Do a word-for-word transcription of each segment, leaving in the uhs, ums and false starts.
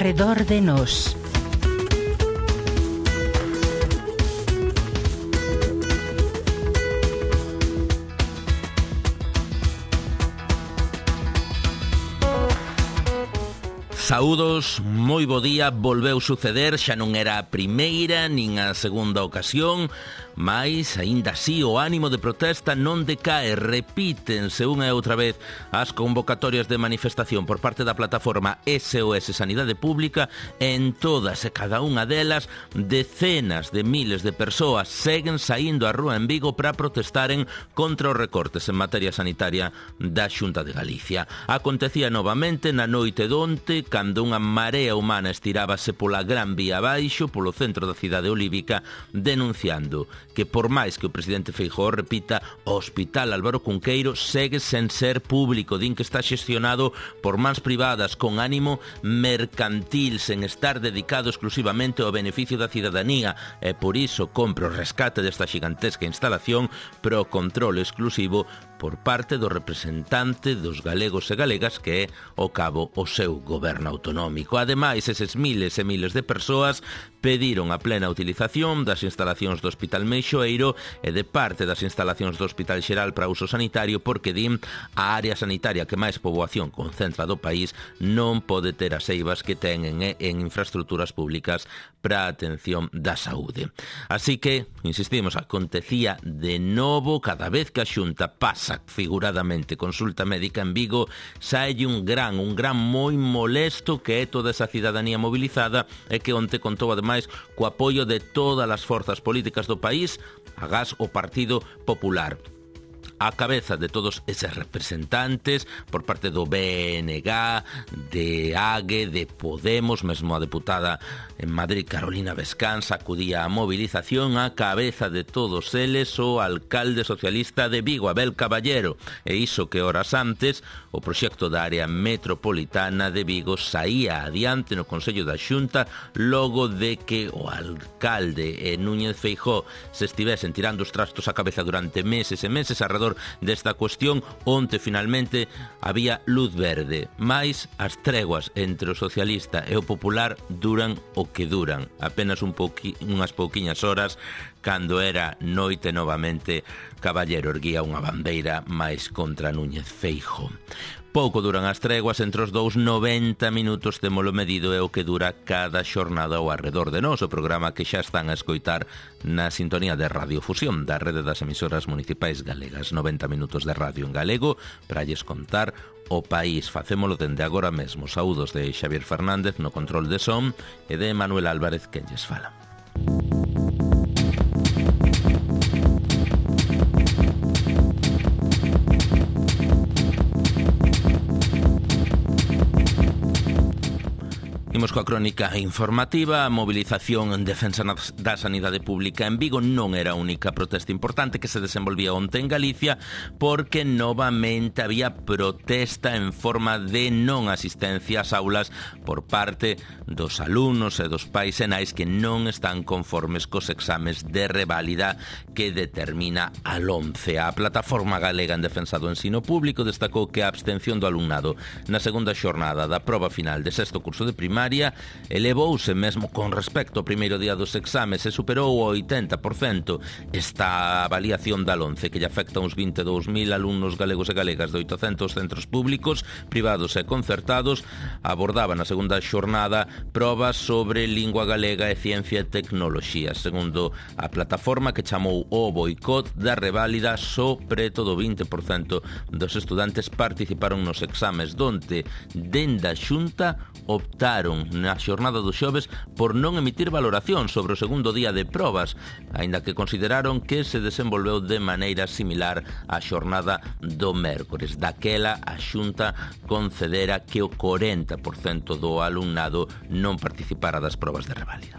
arredor de nós. Saúdos, moi bo día, volveu suceder, xa non era a primeira nin a segunda ocasión, mais, aínda así, o ánimo de protesta non decae, repítense unha e outra vez as convocatorias de manifestación por parte da plataforma S O S Sanidade Pública. En todas e cada unha delas, decenas de miles de persoas seguen saindo á rúa en Vigo para protestaren contra os recortes en materia sanitaria da Xunta de Galicia. Acontecía novamente na noite donte, cando unha marea humana estirábase pola Gran Vía abaixo, polo centro da cidade olívica, denunciando que por máis que o presidente Feijóo repita, o Hospital Álvaro Cunqueiro segue sen ser público, din que está xestionado por mans privadas con ánimo mercantil, sen estar dedicado exclusivamente ao beneficio da cidadanía, e por iso compre o rescate desta xigantesca instalación pro control exclusivo por parte do representante dos galegos e galegas, que é ao cabo o seu goberno autonómico. Ademais, eses miles e miles de persoas pediron a plena utilización das instalacións do Hospital Meixoeiro e de parte das instalacións do Hospital Xeral para uso sanitario, porque din a área sanitaria que máis poboación concentra do país non pode ter as eivas que ten en, en infraestructuras públicas para a atención da saúde. Así que, insistimos, acontecía de novo cada vez que a Xunta pasa figuradamente consulta médica en Vigo, saelle un gran, un gran moi molesto que é toda esa cidadanía mobilizada e que onte contou ademais co apoio de todas as forzas políticas do país, agás o Partido Popular. A cabeza de todos eses representantes por parte do B N G, de A G E, de Podemos, mesmo a deputada en Madrid Carolina Vescans acudía á movilización. A cabeza de todos eles o alcalde socialista de Vigo, Abel Caballero, e iso que horas antes o proxecto da área metropolitana de Vigo saía adiante no Consello da Xunta logo de que o alcalde e Núñez Feijóo se estivesen tirando os trastos á cabeza durante meses e meses alrededor desta cuestión. Onte finalmente había luz verde, mais as treguas entre o socialista e o popular duran o que duran, apenas un pouqui, unhas pouquiñas horas. Cando era noite novamente, Caballero erguía unha bandeira máis contra Núñez Feijóo. Pouco duran as treguas entre os dous, noventa minutos témolo medido é o que dura cada xornada ao arredor de nós, o programa que xa están a escoitar na sintonía de Radiofusión da rede das emisoras municipais galegas. noventa minutos de radio en galego para lles contar o país. Facémolo dende agora mesmo. Saúdos de Xavier Fernández no control de son e de Manuel Álvarez, quen lles fala. Imos coa crónica informativa. A mobilización en defensa da sanidade pública en Vigo non era a única protesta importante que se desenvolvía onte en Galicia, porque novamente había protesta en forma de non asistencia ás aulas por parte dos alumnos e dos pais e nais que non están conformes cos exames de reválida que determina a LOMCE. A Plataforma Galega en Defensa do Ensino Público destacou que a abstención do alumnado na segunda xornada da proba final de sexto curso de primaria elevouse mesmo con respecto ao primeiro día dos exames e superou o oitenta por cento. Esta avaliación da LOMCE, que lle afecta a uns vinte e dous mil alumnos galegos e galegas de oitocentos centros públicos, privados e concertados, abordaba na segunda xornada probas sobre lingua galega e ciencia e tecnoloxía. Segundo a plataforma, que chamou o boicot da reválida, só preto do vinte por cento dos estudantes participaron nos exames, donde dende a Xunta optaron na xornada do xoves por non emitir valoración sobre o segundo día de probas, aínda que consideraron que se desenvolveu de maneira similar á xornada do mércores. Daquela, a Xunta concedera que o corenta por cento do alumnado non participara das probas de reválida.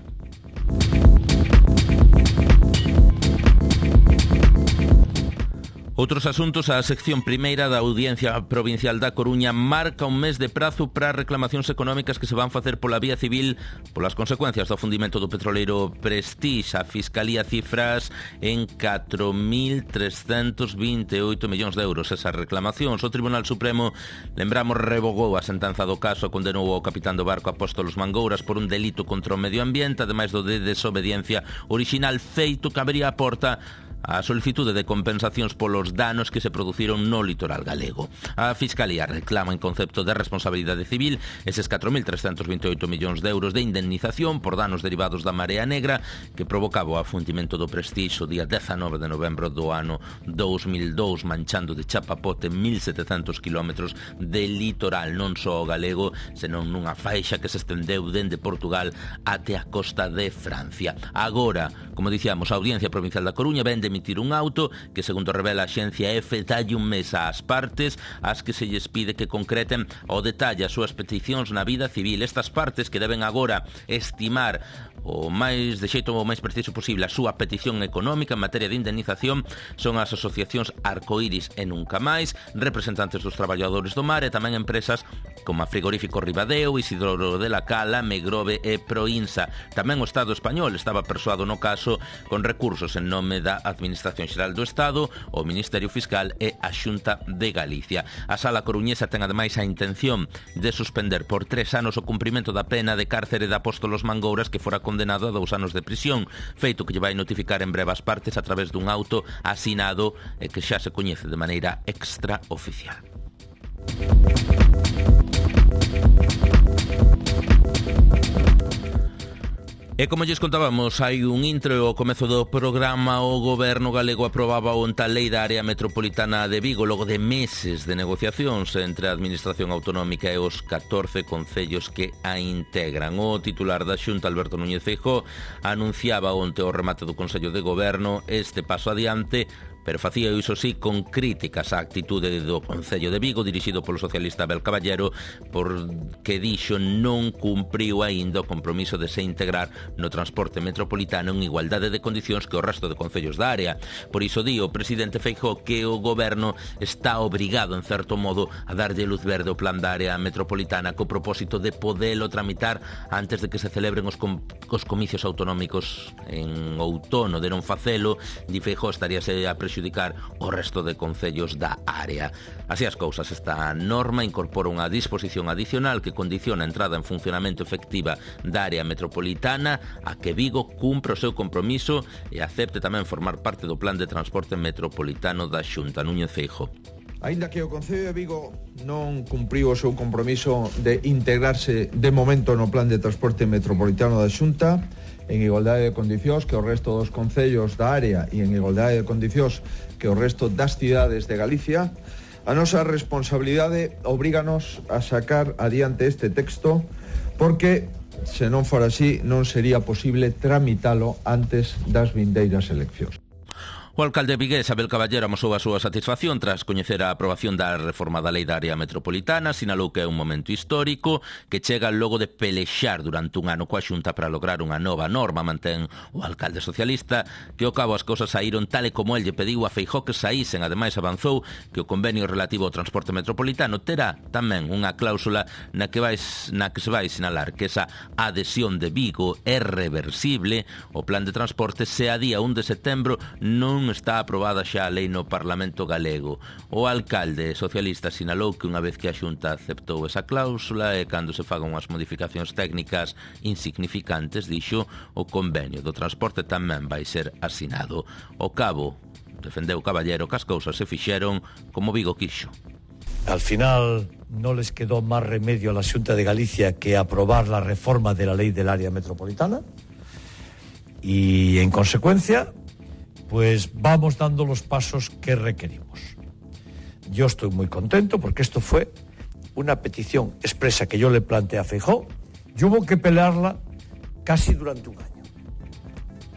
Outros asuntos, a sección primeira da Audiencia Provincial da Coruña marca un mes de prazo para reclamacións económicas que se van facer pola vía civil polas consecuencias do afundimento do petroleiro Prestige. A Fiscalía cifras en catro mil trescentos vinte e oito millóns de euros esas reclamacións. O Tribunal Supremo, lembramos, revogou a sentenza do caso, condenou ao capitán do barco Apóstolos Mangouras por un delito contra o medio ambiente, ademais do de desobediencia orixinal, feito que abría a porta a solicitude de compensacións polos danos que se produciron no litoral galego. A Fiscalía reclama en concepto de responsabilidade civil eses catro mil trescentos vinte e oito millóns de euros de indemnización por danos derivados da marea negra que provocaba o afundimento do Prestige o día dezanove de novembro do ano dous mil dous, manchando de chapapote mil setecentos kilómetros de litoral, non só o galego, senón nunha faixa que se estendeu dende Portugal até a costa de Francia. Agora, como dicíamos, a Audiencia Provincial da Coruña vende emitir un auto que, segundo revela a Axencia Efe, dalle un mes ás partes as que se lles pide que concreten ao detalle as súas peticións na vida civil. Estas partes que deben agora estimar o máis de xeito o máis preciso posible a súa petición económica en materia de indemnización son as asociacións Arcoiris e Nunca Máis, representantes dos traballadores do mar e tamén empresas como a Frigorífico Ribadeo, Isidoro de la Cala, Megrove e Proinsa. Tamén o Estado español estaba persoado no caso con recursos en nome da Administración Xeral do Estado, o Ministerio Fiscal e a Xunta de Galicia. A Sala Coruñesa ten ademais a intención de suspender por tres anos o cumprimento da pena de cárcere de Apóstolos Mangouras, que fora condenado a dous anos de prisión, feito que lle vai notificar en breve as partes a través dun auto asinado e que xa se coñece de maneira extraoficial. E como lles contábamos, hai un intro ao comezo do programa. O goberno galego aprobaba onte a lei da área metropolitana de Vigo logo de meses de negociacións entre a Administración Autonómica e os catorce concellos que a integran. O titular da Xunta, Alberto Núñez Feijóo, anunciaba onte o remate do Consello de Goberno este paso adiante, pero facía iso sí con críticas á actitude do Concello de Vigo, dirixido polo socialista Abel Caballero, porque dixo non cumpriu aínda o compromiso de se integrar no transporte metropolitano en igualdade de condicións que o resto de concellos da área. Por iso di o presidente Feijóo que o goberno está obrigado, en certo modo, a darlle luz verde ao plan da área metropolitana co propósito de podelo tramitar antes de que se celebren os, com os comicios autonómicos en outono. De non facelo, di Feijóo, estaríase a prexudicar o resto de concellos da área. Así as cousas, esta norma incorpora unha disposición adicional que condiciona a entrada en funcionamento efectiva da área metropolitana a que Vigo cumpra o seu compromiso e acepte tamén formar parte do plan de transporte metropolitano da Xunta. Núñez Feijóo. Aínda que o Concello de Vigo non cumpriu o seu compromiso de integrarse de momento no plan de transporte metropolitano da Xunta en igualdade de condicións que o resto dos concellos da área e en igualdade de condicións que o resto das cidades de Galicia, a nosa responsabilidade obríganos a sacar adiante este texto porque, se non fora así, non sería posible tramitalo antes das vindeiras eleccións. O alcalde vigués Abel Caballero amosou a súa satisfacción tras coñecer a aprobación da reforma da lei da área metropolitana. Sinalou que é un momento histórico que chega logo de pelexar durante un ano coa Xunta para lograr unha nova norma. Mantén o alcalde socialista que ao cabo as cousas saíron tal e como el lle pediu a Feijóo que saísen. Ademais avanzou que o convenio relativo ao transporte metropolitano terá tamén unha cláusula na que, vais, na que se vai sinalar que esa adhesión de Vigo é reversible. O plan de transporte se a día un de setembro non está aprobada xa a lei no Parlamento galego. O alcalde socialista sinalou que unha vez que a Xunta aceptou esa cláusula e cando se fagan unhas modificacións técnicas insignificantes, dixo, o convenio do transporte tamén vai ser asinado. Ao cabo, defendeu Caballero que as cousas se fixeron como Vigo quixo. Al final no les quedó más remedio a la Xunta de Galicia que aprobar la reforma de la ley del área metropolitana y en consecuencia pues vamos dando los pasos que requerimos. Yo estoy muy contento porque esto fue una petición expresa que yo le planteé a Feijóo y hubo que pelearla casi durante un año.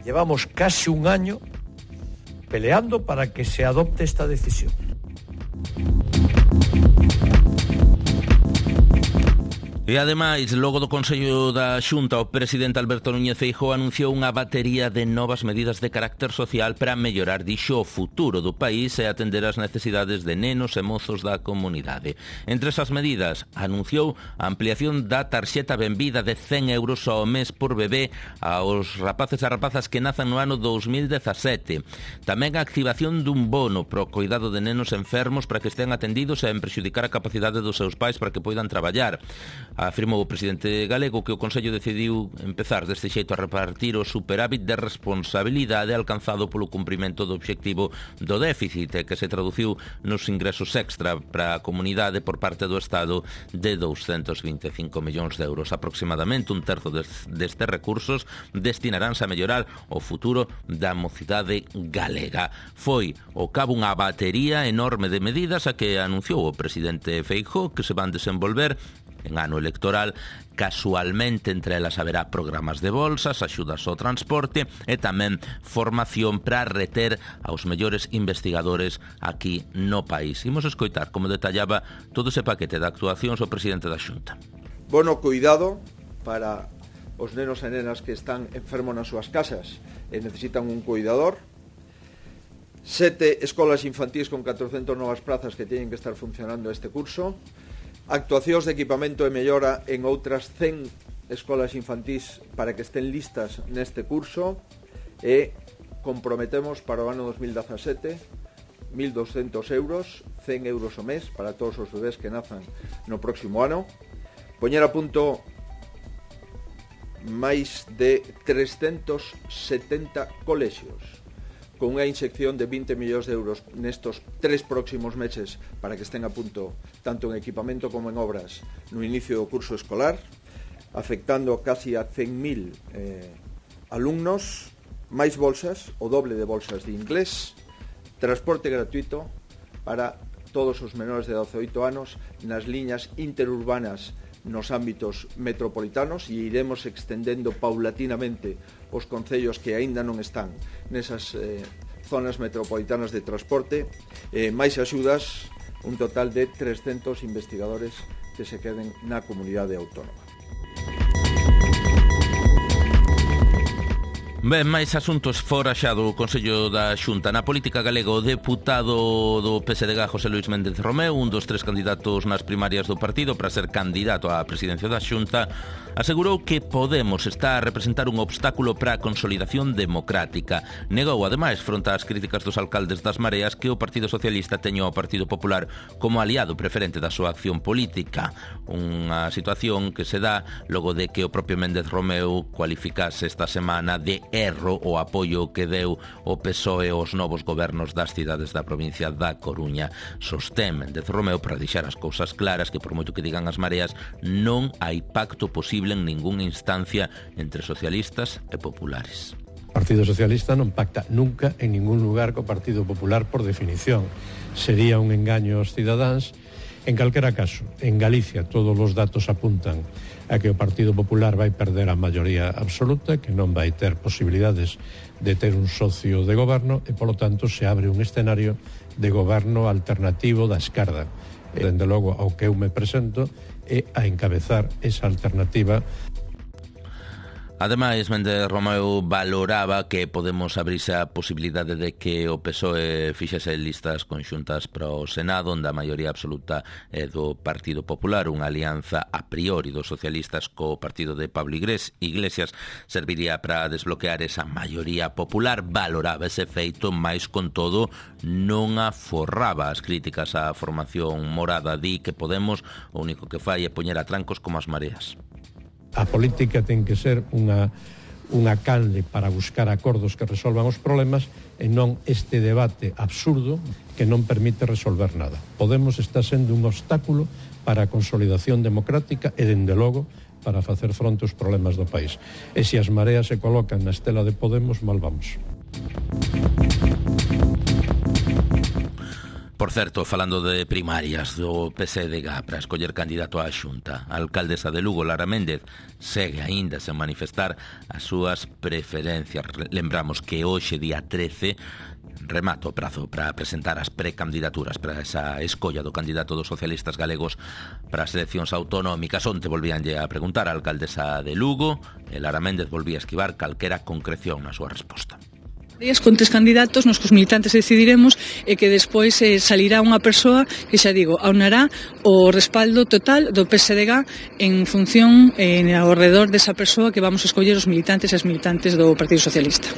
Llevamos casi un año peleando para que se adopte esta decisión. E ademais, logo do Consello da Xunta, o presidente Alberto Núñez Feijóo anunciou unha batería de novas medidas de carácter social para mellorar, dixo, o futuro do país e atender as necesidades de nenos e mozos da comunidade. Entre esas medidas, anunciou a ampliación da tarxeta benvida de cen euros ao mes por bebé aos rapaces e rapazas que nazan no ano dous mil dezasete. Tamén a activación dun bono pro cuidado de nenos enfermos para que estén atendidos e en prexudicar a capacidade dos seus pais para que poidan traballar. Afirmou o presidente galego que o Consello decidiu empezar deste xeito a repartir o superávit de responsabilidade alcanzado polo cumprimento do obxectivo do déficit e que se traduciu nos ingresos extra para a comunidade por parte do Estado de douscentos vinte e cinco millóns de euros. Aproximadamente un terzo destes recursos destinaránse a mellorar o futuro da mocidade galega. Foi ao cabo unha batería enorme de medidas a que anunciou o presidente Feijóo que se van desenvolver en ano electoral. Casualmente, entre elas haberá programas de bolsas, axudas ao transporte e tamén formación para reter aos mellores investigadores aquí no país. Imos escoitar como detallaba todo ese paquete de actuacións o presidente da Xunta. Bono cuidado para os nenos e nenas que están enfermos nas súas casas e necesitan un cuidador. Sete escolas infantís con catrocentas novas prazas que teñen que estar funcionando este curso. Actuacións de equipamento e mellora en outras cen escolas infantís para que estén listas neste curso e comprometemos para o ano dos mil dezasete mil douscentos euros, cen euros ao mes para todos os bebés que nazan no próximo ano, poñer a punto máis de trescentos setenta colexios con unha inyección de vinte millóns de euros nestos tres próximos meses para que estén a punto tanto en equipamento como en obras no inicio do curso escolar, afectando casi a cen mil eh, alumnos, máis bolsas, o doble de bolsas de inglés, transporte gratuito para todos os menores de doce a oito anos nas liñas interurbanas nos ámbitos metropolitanos e iremos extendendo paulatinamente os concellos que aínda non están nesas eh, zonas metropolitanas de transporte, eh, máis axudas, un total de trescentos investigadores que se queden na comunidade autónoma. Ben, máis asuntos fora xa do Consello da Xunta. Na política galega, o deputado do P S D G, José Luís Méndez Romeu, un dos tres candidatos nas primarias do partido para ser candidato á presidencia da Xunta, asegurou que Podemos está a representar un obstáculo para a consolidación democrática. Negou, ademais, fronte ás críticas dos alcaldes das Mareas, que o Partido Socialista teña o Partido Popular como aliado preferente da súa acción política. Unha situación que se dá logo de que o propio Méndez Romeu cualificase esta semana de erro o apoio que deu o P S O E aos novos gobernos das cidades da provincia da Coruña. Sostén Méndez Romeu, para deixar as cousas claras, que por moito que digan as Mareas, non hai pacto posible en ningunha instancia entre socialistas e populares. O Partido Socialista non pacta nunca en ningún lugar co Partido Popular por definición. Sería un engaño aos cidadáns. En calquera caso, en Galicia todos os datos apuntan a que o Partido Popular vai perder a maioría absoluta, que non vai ter posibilidades de ter un socio de goberno e, polo tanto, se abre un escenario de goberno alternativo da esquerda. Dende logo, ao que eu me presento é a encabezar esa alternativa. Ademais, Méndez Romeu valoraba que Podemos abrirse a posibilidade de que o P S O E fixese listas conxuntas para o Senado, onde a maioría absoluta é do Partido Popular. Unha alianza a priori dos socialistas co partido de Pablo Iglesias serviría para desbloquear esa maioría popular. Valoraba ese feito, mais con todo non aforraba as críticas á formación morada. Di que Podemos o único que fai é poñer a trancos como as Mareas. A política ten que ser unha, unha canle para buscar acordos que resolvan os problemas e non este debate absurdo que non permite resolver nada. Podemos está sendo un obstáculo para a consolidación democrática e, dende logo, para facer fronte aos problemas do país. E se as Mareas se colocan na estela de Podemos, mal vamos. Por certo, falando de primarias do P S D G para escoller candidato á Xunta, a alcaldesa de Lugo, Lara Méndez, segue aínda sen manifestar as súas preferencias. Lembramos que hoxe, día trece, remata o prazo para presentar as precandidaturas para esa escolla do candidato dos socialistas galegos para as eleccións autonómicas. Onte volvíanlle a preguntar a alcaldesa de Lugo e Lara Méndez volvía a esquivar calquera concreción na súa resposta. Con tres candidatos nos que os militantes decidiremos e que despois eh, salirá unha persoa que, xa digo, aunará o respaldo total do P S D G en función eh, ao redor desa persoa que vamos a escoller os militantes e as militantes do Partido Socialista.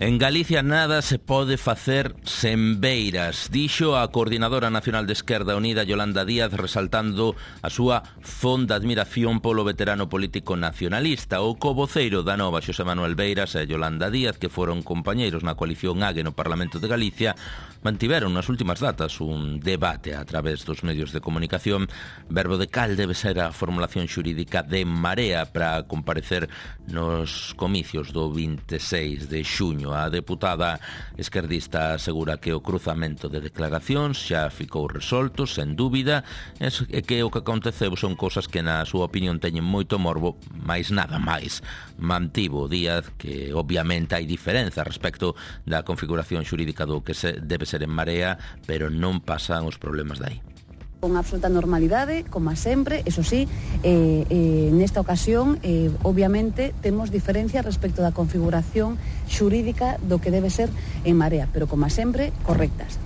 En Galicia nada se pode facer sen beiras, dixo a coordinadora nacional de Esquerda Unida Yolanda Díaz, resaltando a súa fonda admiración polo veterano político nacionalista. O covoceiro da Nova, Xosé Manuel Beiras e Yolanda Díaz, que foron compañeiros na coalición A G no Parlamento de Galicia, mantiveron nas últimas datas un debate a través dos medios de comunicación, verbo de cal debe ser a formulación xurídica de Marea para comparecer nos comicios do vinte e seis de xuño. A deputada esquerdista asegura que o cruzamento de declaracións xa ficou resolto, sen dúbida, e que o que aconteceu son cosas que na súa opinión teñen moito morbo, máis nada máis. Mantivo Díaz que obviamente hai diferenza respecto da configuración xurídica do que se debe ser en Marea, pero non pasan os problemas dai. Con absoluta normalidade, como sempre, eso sí, eh, eh, nesta ocasión, eh, obviamente, temos diferencias respecto da configuración xurídica do que debe ser en Marea, pero como sempre, correctas.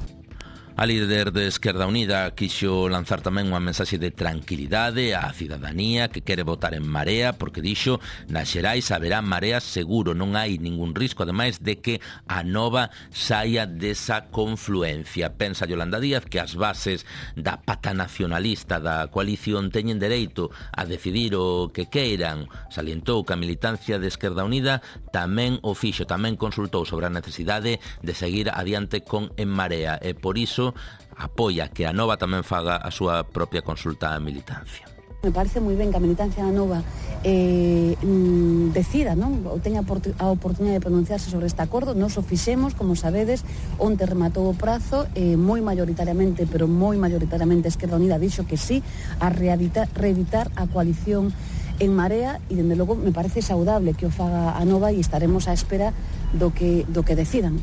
A líder de Esquerda Unida quixo lanzar tamén unha mensaxe de tranquilidade á cidadanía que quere votar en Marea, porque dixo, nas xerais haberá Marea seguro, non hai ningún risco, ademais de que a Nova saia desa confluencia. Pensa Yolanda Díaz que as bases da pata nacionalista da coalición teñen dereito a decidir o que queiran. Salientou que a militancia de Esquerda Unida tamén o fixo, tamén consultou sobre a necesidade de seguir adiante con En Marea, e por iso apoia que a Nova tamén faga a súa propia consulta á militancia. Me parece moi ben que a militancia da Nova eh, mm, decida, non? Ou teña a oportunidade de pronunciarse sobre este acordo. Nos o fixemos, como sabedes, onte rematou o prazo, eh, moi mayoritariamente, pero moi mayoritariamente Esquerda Unida dixo que sí a reeditar, reeditar a coalición en Marea, e dende logo me parece saudable que o faga a Nova, e estaremos á espera do que, do que decidan.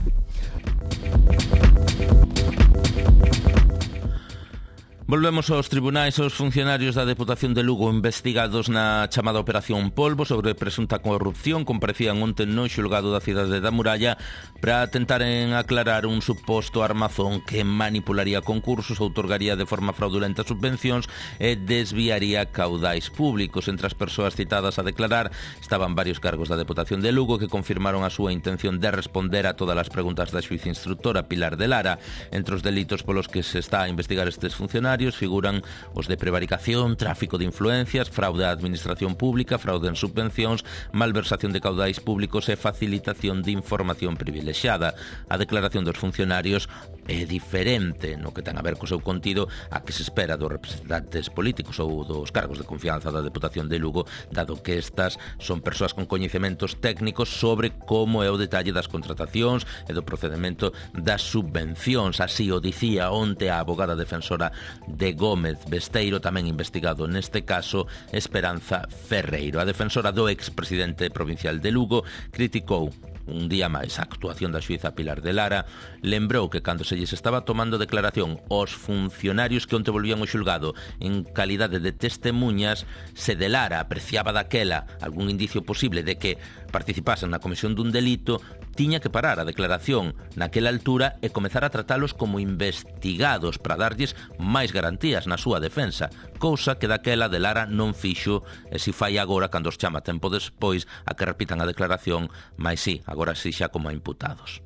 Volvemos aos tribunais. Os funcionarios da Deputación de Lugo investigados na chamada Operación Polvo sobre presunta corrupción comparecían onte no xulgado da cidade da Muralla para tentaren aclarar un suposto armazón que manipularía concursos, outorgaría de forma fraudulenta subvencións e desviaría caudais públicos. Entre as persoas citadas a declarar estaban varios cargos da Deputación de Lugo que confirmaron a súa intención de responder a todas as preguntas da xuíza instructora Pilar de Lara. Entre os delitos polos que se está a investigar estes funcionarios figuran os de prevaricación, tráfico de influencias, fraude á administración pública, fraude en subvencións, malversación de caudais públicos e facilitación de información privilexiada. A declaración dos funcionarios é diferente no que ten a ver co seu contido a que se espera dos representantes políticos ou dos cargos de confianza da Deputación de Lugo, dado que estas son persoas con coñecementos técnicos sobre como é o detalle das contratacións e do procedimento das subvencións. Así o dicía onte a abogada defensora de Gómez Besteiro, tamén investigado neste caso, Esperanza Ferreiro. A defensora do expresidente provincial de Lugo criticou un día máis a actuación da xuíza Pilar de Lara, lembrou que cando se lles estaba tomando declaración aos funcionarios que onte volvían ao xulgado en calidade de testemunhas, se de Lara apreciaba daquela algún indicio posible de que participasen na comisión dun delito, tiña que parar a declaración naquela altura e comezar a tratalos como investigados para darlles máis garantías na súa defensa, cousa que daquela de Lara non fixo, e si fai agora cando os chama tempo despois a que repitan a declaración, máis si, agora si xa como a imputados.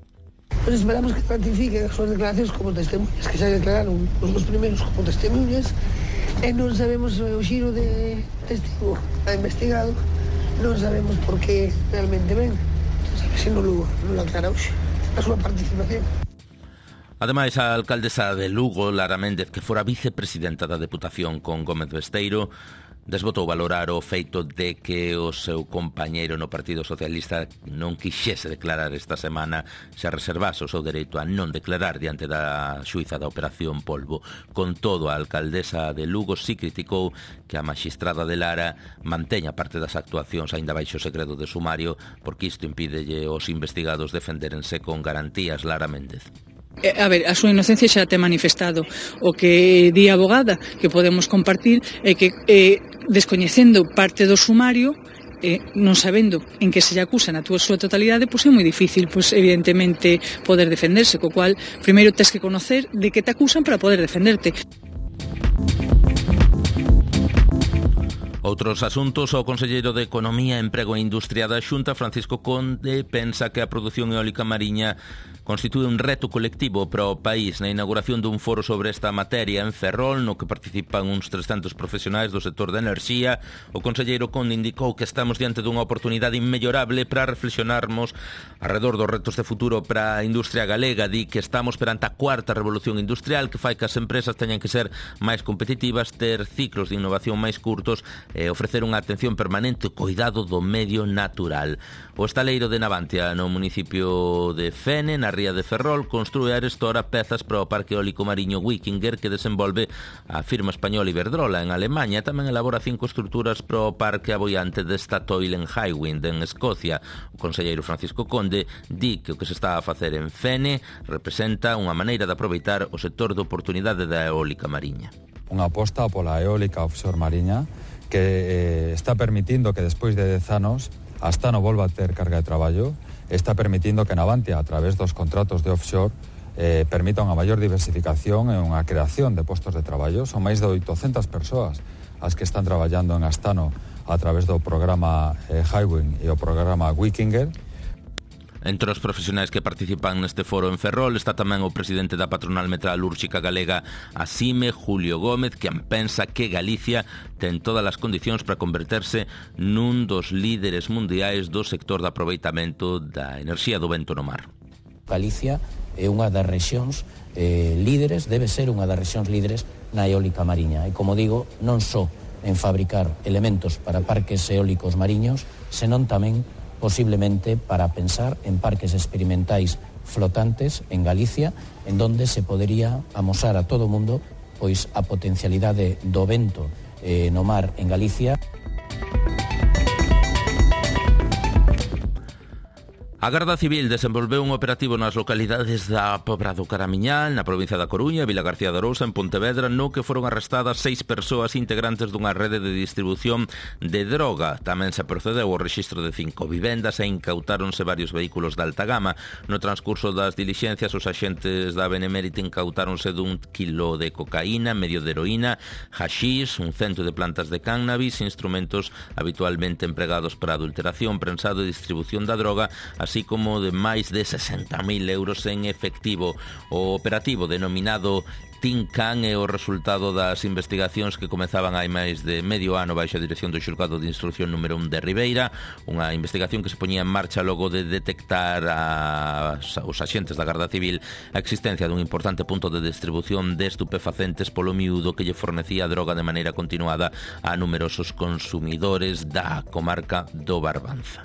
Pues esperamos que ratifiquen as súas declaracións como testemunhas, que xa declararon os dos primeiros como testemunhas, e non sabemos o xiro de testigo a investigado, non sabemos por que realmente ven. Se non lo, non lo aclara hoxe a súa participación. Ademais, a alcaldesa de Lugo, Lara Méndez, que fora vicepresidenta da Deputación con Gómez Besteiro, Desbotou valorar o feito de que o seu compañeiro no Partido Socialista non quixese declarar esta semana, se reservase o seu dereito a non declarar diante da xuíza da Operación Polvo. Con todo, a alcaldesa de Lugo si criticou que a maxistrada de Lara manteña parte das actuacións aínda baixo secreto de sumario, porque isto impídelle aos investigados defenderense con garantías. Lara Méndez. A ver, a súa inocencia xa te manifestado. O que di a abogada que podemos compartir é que eh, descoñecendo parte do sumario, eh, non sabendo en que se lle acusa na túa súa totalidade, pois é moi difícil, pois evidentemente poder defenderse, co cual primeiro tes que conocer de que te acusan para poder defenderte. Outros asuntos, o conselleiro de Economía, Emprego e Industria da Xunta, Francisco Conde, pensa que a produción eólica mariña constitúe un reto colectivo para o país. Na inauguración dun foro sobre esta materia en Ferrol, no que participan uns trescentos profesionais do sector da enerxía, o conselleiro Conde indicou que estamos diante dunha oportunidade inmellorable para reflexionarmos alrededor dos retos de futuro para a industria galega. Di que estamos perante a cuarta revolución industrial que fai que as empresas teñan que ser máis competitivas, ter ciclos de innovación máis curtos e ofrecer unha atención permanente ao cuidado do medio natural. O estaleiro de Navantia, no municipio de Fene, na ría de Ferrol, construe a Arestora pezas para o parque eólico mariño Wikinger que desenvolve a firma española Iberdrola en Alemanha. Tamén elabora cinco estruturas para o parque aboiante de Statoil en Hywind, en Escocia. O conselleiro Francisco Conde di que o que se está a facer en Fene representa unha maneira de aproveitar o sector de oportunidade da eólica mariña. Unha aposta pola eólica offshore mariña que eh, está permitindo que despois de dez anos Astano volva a ter carga de traballo, está permitindo que Navantia, a través dos contratos de offshore, eh, permita unha maior diversificación e unha creación de postos de traballo. Son máis de oitocentas persoas as que están traballando en Astano a través do programa eh, Hywind e o programa Wikinger. Entre os profesionais que participan neste foro en Ferrol está tamén o presidente da patronal metalúrxica galega Asime, Julio Gómez, que pensa que Galicia ten todas as condicións para converterse nun dos líderes mundiais do sector de aproveitamento da enerxía do vento no mar. Galicia é unha das rexións eh, líderes, debe ser unha das rexións líderes na eólica mariña. E como digo, non só en fabricar elementos para parques eólicos mariños, senón tamén posiblemente para pensar en parques experimentais flotantes en Galicia, en donde se podería amosar a todo o mundo pois a potencialidade do vento eh, no mar en Galicia. A Garda Civil desenvolveu un operativo nas localidades da Pobra do Caramiñal, na provincia da Coruña, Vila García de Arousa, en Pontevedra, no que foron arrestadas seis persoas integrantes dunha rede de distribución de droga. Tamén se procedeu ao rexistro de cinco vivendas e incautáronse varios vehículos de alta gama. No transcurso das dilixencias, os axentes da Benemérita incautáronse dun kilo de cocaína, medio de heroína, haxís, un cento de plantas de cannabis, instrumentos habitualmente empregados para adulteración, prensado e distribución da droga, así como de máis de sesenta mil euros en efectivo. O operativo denominado Tincan é o resultado das investigacións que comezaban hai máis de medio ano baixo a dirección do xulgado de instrucción número un de Ribeira, unha investigación que se poñía en marcha logo de detectar a, os axentes da Garda Civil a existencia dun importante punto de distribución de estupefacentes polo miúdo que lle fornecía droga de maneira continuada a numerosos consumidores da comarca do Barbanza.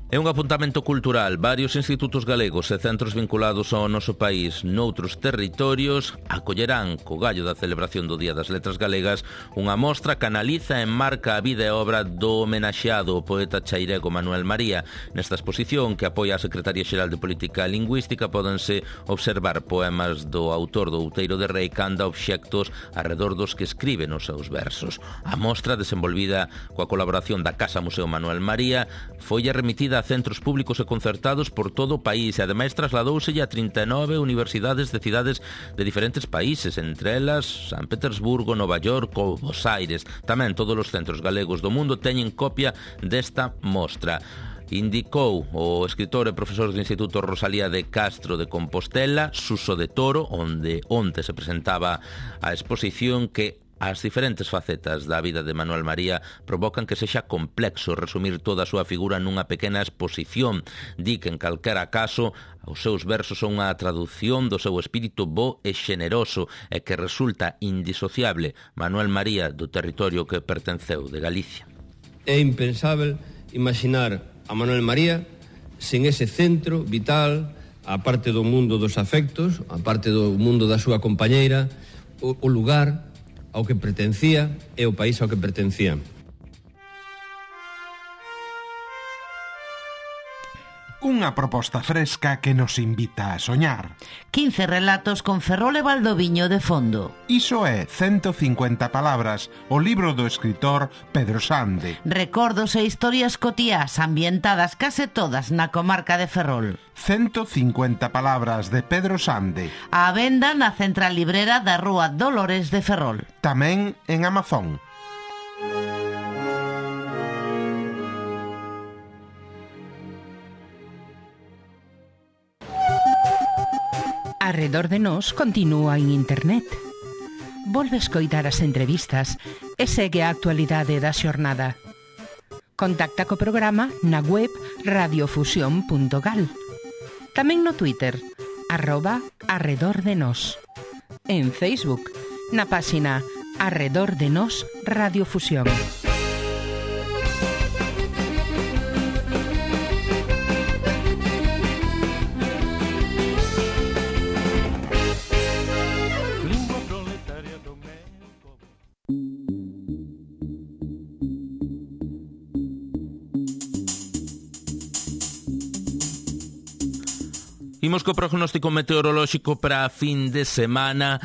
É un apuntamento cultural. Varios institutos galegos e centros vinculados ao noso país noutros territorios acollerán co gallo da celebración do Día das Letras Galegas unha mostra que analiza e enmarca a vida e obra do homenaxeado o poeta chairego Manuel María. Nesta exposición, que apoia a Secretaría Xeral de Política Lingüística, pódense observar poemas do autor do Outeiro de Rei canda obxectos arredor dos que escribe nos seus versos. A mostra, desenvolvida coa colaboración da Casa Museo Manuel María, foi remitida a centros públicos e concertados por todo o país e ademais trasladouselle a trinta e nove universidades de cidades de diferentes países, entre elas San Petersburgo, Nova York ou Buenos Aires. Tamén todos os centros galegos do mundo teñen copia desta mostra. Indicou o escritor e profesor do Instituto Rosalía de Castro de Compostela, Suso de Toro, onde onte se presentaba a exposición, que As diferentes facetas da vida de Manuel María provocan que sexa complexo resumir toda a súa figura nunha pequena exposición. Di que en calquera caso os seus versos son unha traducción do seu espírito bo e xeneroso e que resulta indisociable Manuel María do territorio que pertenceu de Galicia. É impensável imaginar a Manuel María sen ese centro vital, a parte do mundo dos afectos, a parte do mundo da súa compañeira, o, o lugar ao que pertencía e o país ao que pertencía. Unha proposta fresca que nos invita a soñar. quince relatos con Ferrol e Valdoviño de fondo. Iso é ciento cincuenta palabras, o libro do escritor Pedro Sande. Recordos e historias cotiás ambientadas case todas na comarca de Ferrol. ciento cincuenta palabras de Pedro Sande. A venda na central librera da Rúa Dolores de Ferrol. Tamén en Amazon. Arredor de nós continúa en internet. Volve escoitar as entrevistas e segue a actualidade da xornada. Contacta co programa na web radiofusión punto gal. Tamén no Twitter, arroba Arredor de Nós. En Facebook, na páxina Arredor de Nós Radiofusión. Imos co prognóstico meteorolóxico para a fin de semana.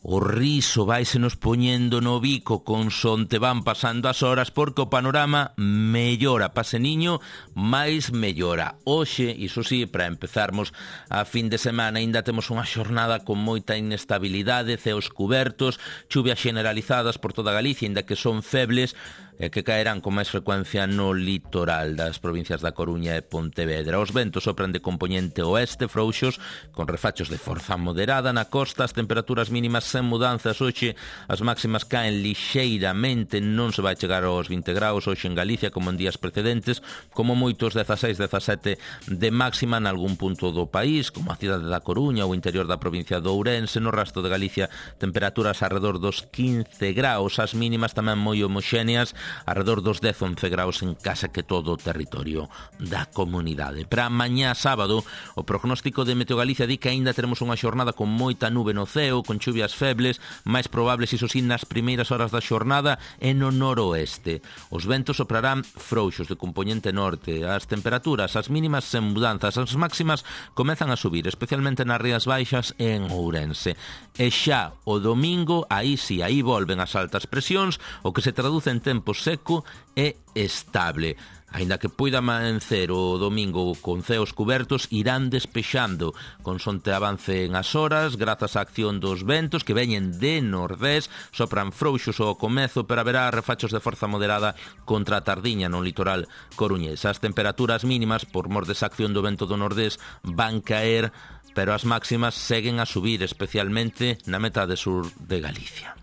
O riso vaise nos poñendo no bico consonte van pasando as horas, porque o panorama mellora, paseniño, máis mellora. Hoxe, iso sí, para empezarmos a fin de semana, ainda temos unha xornada con moita inestabilidade, ceos cubertos, chuvias generalizadas por toda Galicia, ainda que son febles, e que caerán con máis frecuencia no litoral das provincias da Coruña e Pontevedra. Os ventos sopran de compoñente oeste, frouxos, con refachos de forza moderada na costa. As temperaturas mínimas sen mudanzas. Hoxe as máximas caen lixeiramente, non se vai chegar aos vinte graus hoxe en Galicia como en días precedentes, como moitos dezaseis, dezasete de máxima en algún punto do país, como a cidade da Coruña ou o interior da provincia de Ourense. No resto de Galicia, temperaturas alrededor dos quince graus, as mínimas tamén moi homoxéneas, alrededor dos dez a once graus en case que todo o territorio da comunidade. Para mañá sábado, o prognóstico de Meteo Galicia di que aínda teremos unha xornada con moita nube no ceo, con chuvias febles, máis probables, iso sí, nas primeiras horas da xornada e no noroeste. Os ventos soprarán frouxos de compoñente norte. As temperaturas, as mínimas sen mudanzas, as máximas comezan a subir, especialmente nas Rías Baixas e en Ourense. E xa o domingo, aí sí, aí volven as altas presións, o que se traduce en tempo seco e estable. Aínda que poida amancer o domingo con ceos cubertos, irán despexando consonte avancen as horas, grazas á acción dos ventos que veñen de nordés, sopran frouxos ao comezo, pero haberá refachos de forza moderada contra a tardiña no litoral coruñés. As temperaturas mínimas, por mor desa acción do vento do nordés, van caer, pero as máximas seguen a subir, especialmente na metade sur de Galicia.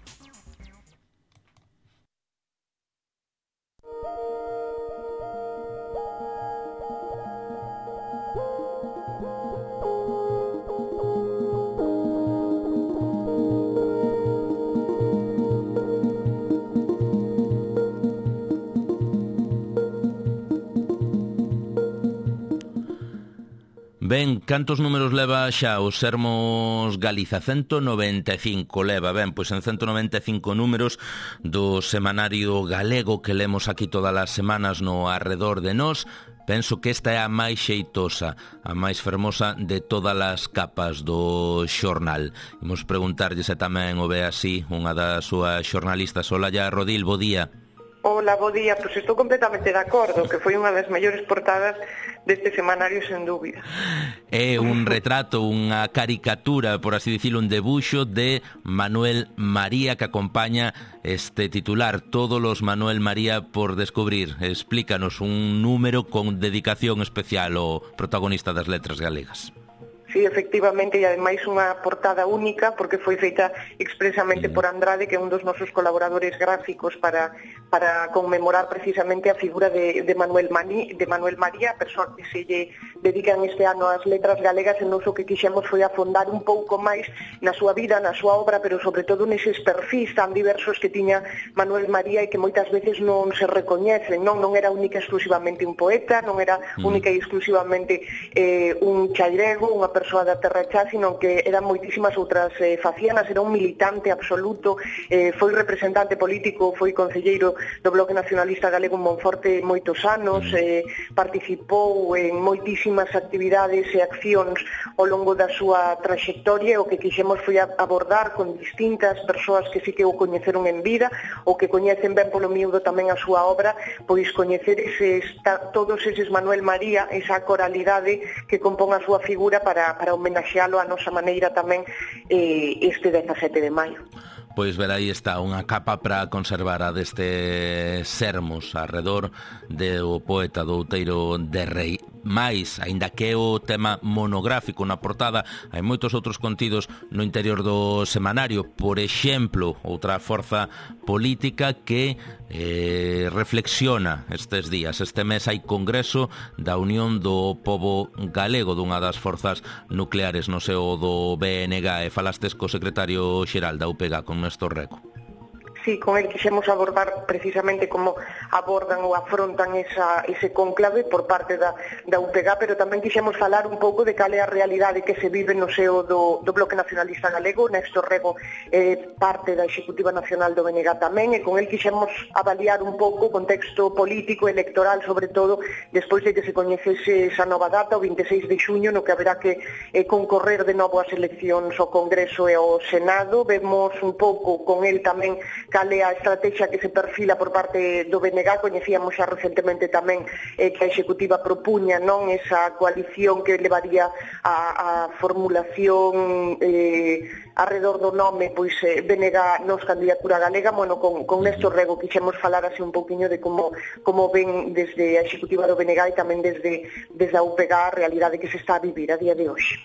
Ben, cantos números leva xa o Sermos Galiza? cento noventa e cinco leva. Ben, pois en cento noventa e cinco números do semanario galego que lemos aquí todas as semanas no Arredor de Nós, penso que esta é a máis xeitosa, a máis fermosa de todas as capas do xornal. Imos preguntarlle se tamén o ve así unha das súas xornalistas. Olalla Rodil, bo día. Hola, bo día. Pois estou completamente de acordo, que foi unha das mellores portadas deste semanario, sen dúbida. É un retrato, unha caricatura, por así dicilo, un debuxo de Manuel María que acompaña este titular, Todos los Manuel María por descubrir. Explícanos un número con dedicación especial ao protagonista das letras galegas. Sí, efectivamente, e ademais unha portada única porque foi feita expresamente por Andrade, que é un dos nosos colaboradores gráficos para, para conmemorar precisamente a figura de, de, Manuel Mani, de Manuel María, a persoa que se lle dedican este ano as letras galegas, e nos o que quixemos foi afondar un pouco máis na súa vida, na súa obra, pero sobre todo neses perfis tan diversos que tiña Manuel María e que moitas veces non se recoñecen, non, non era única exclusivamente un poeta, non era única e exclusivamente eh, un chairego, unha persoa da terra xa, sino que eran moitísimas outras eh, facianas, era un militante absoluto, eh, foi representante político, foi concelleiro do Bloque Nacionalista Galego en Monforte moitos anos, eh, participou en moitísimas actividades e accións ao longo da súa traxectoria. O que quixemos foi abordar con distintas persoas que sí que o coñeceron en vida, ou que coñecen ben polo miúdo tamén a súa obra, pois coñecer eses, todos eses Manuel María, esa coralidade que compón a súa figura para para homenaxealo a nosa maneira tamén eh, este dezasete de maio. Pois ver, aí está unha capa para conservar a deste Sermos arredor do poeta do Outeiro de Rei. Mais, aínda que é o tema monográfico na portada, hai moitos outros contidos no interior do semanario. Por exemplo, outra forza política que eh, reflexiona estes días. Este mes hai congreso da Unión do Pobo Galego, dunha das forzas nucleares no seo do B N G, e falastes co secretario xeral da U P G, con Néstor Reco. Sí, con el quixemos abordar precisamente como abordan ou afrontan esa, ese conclave por parte da, da U P G, pero tamén quixemos falar un pouco de cal é a realidade que se vive no seo do, do Bloque Nacionalista Galego. Néstor Rego é eh, parte da Executiva Nacional do B N G tamén, e con el quixemos avaliar un pouco o contexto político e electoral, sobre todo despois de que se coñecese esa nova data, o vinte e seis de xuño, no que haberá que eh, concorrer de novo as eleccións ao Congreso e ao Senado. Vemos un pouco con el tamén cal é a estrategia que se perfila por parte do B N G. Coñecíamos xa recentemente tamén eh, que a Executiva propuña non esa coalición que levaría a, a formulación eh, arredor do nome, pois eh, B N G nos candidatura galega. Bueno, con, con Néstor Rego quixemos falar así un pouquiño de como, como ven desde a Executiva do B N G e tamén desde, desde a U P G a realidade que se está a vivir a día de hoxe.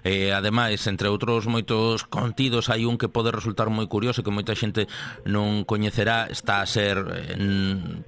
E, ademais, entre outros moitos contidos, hai un que pode resultar moi curioso, que moita xente non coñecerá. Está a ser en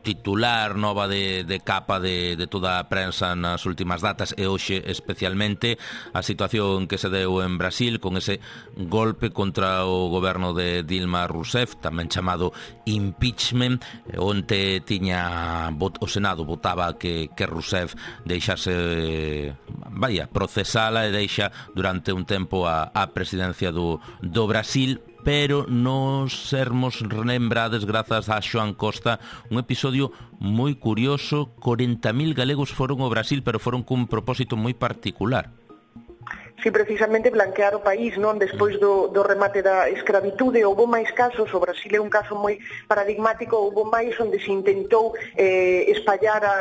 titular nova de, de capa de, de toda a prensa nas últimas datas, e hoxe especialmente a situación que se deu en Brasil con ese golpe contra o goberno de Dilma Rousseff, tamén chamado impeachment, onde tiña o Senado votaba que, que Rousseff deixase, vaya, procesala e deixa durante un tempo a, a presidencia do, do Brasil. Pero nos sermos lembrades grazas a Xoan Costa un episodio moi curioso. corenta mil galegos foron ao Brasil, pero foron cun propósito moi particular. Sí, precisamente blanquear o país, non? Despois do, do remate da escravitude, houve máis casos, o Brasil é un caso moi paradigmático, houve máis onde se intentou eh, espallar a,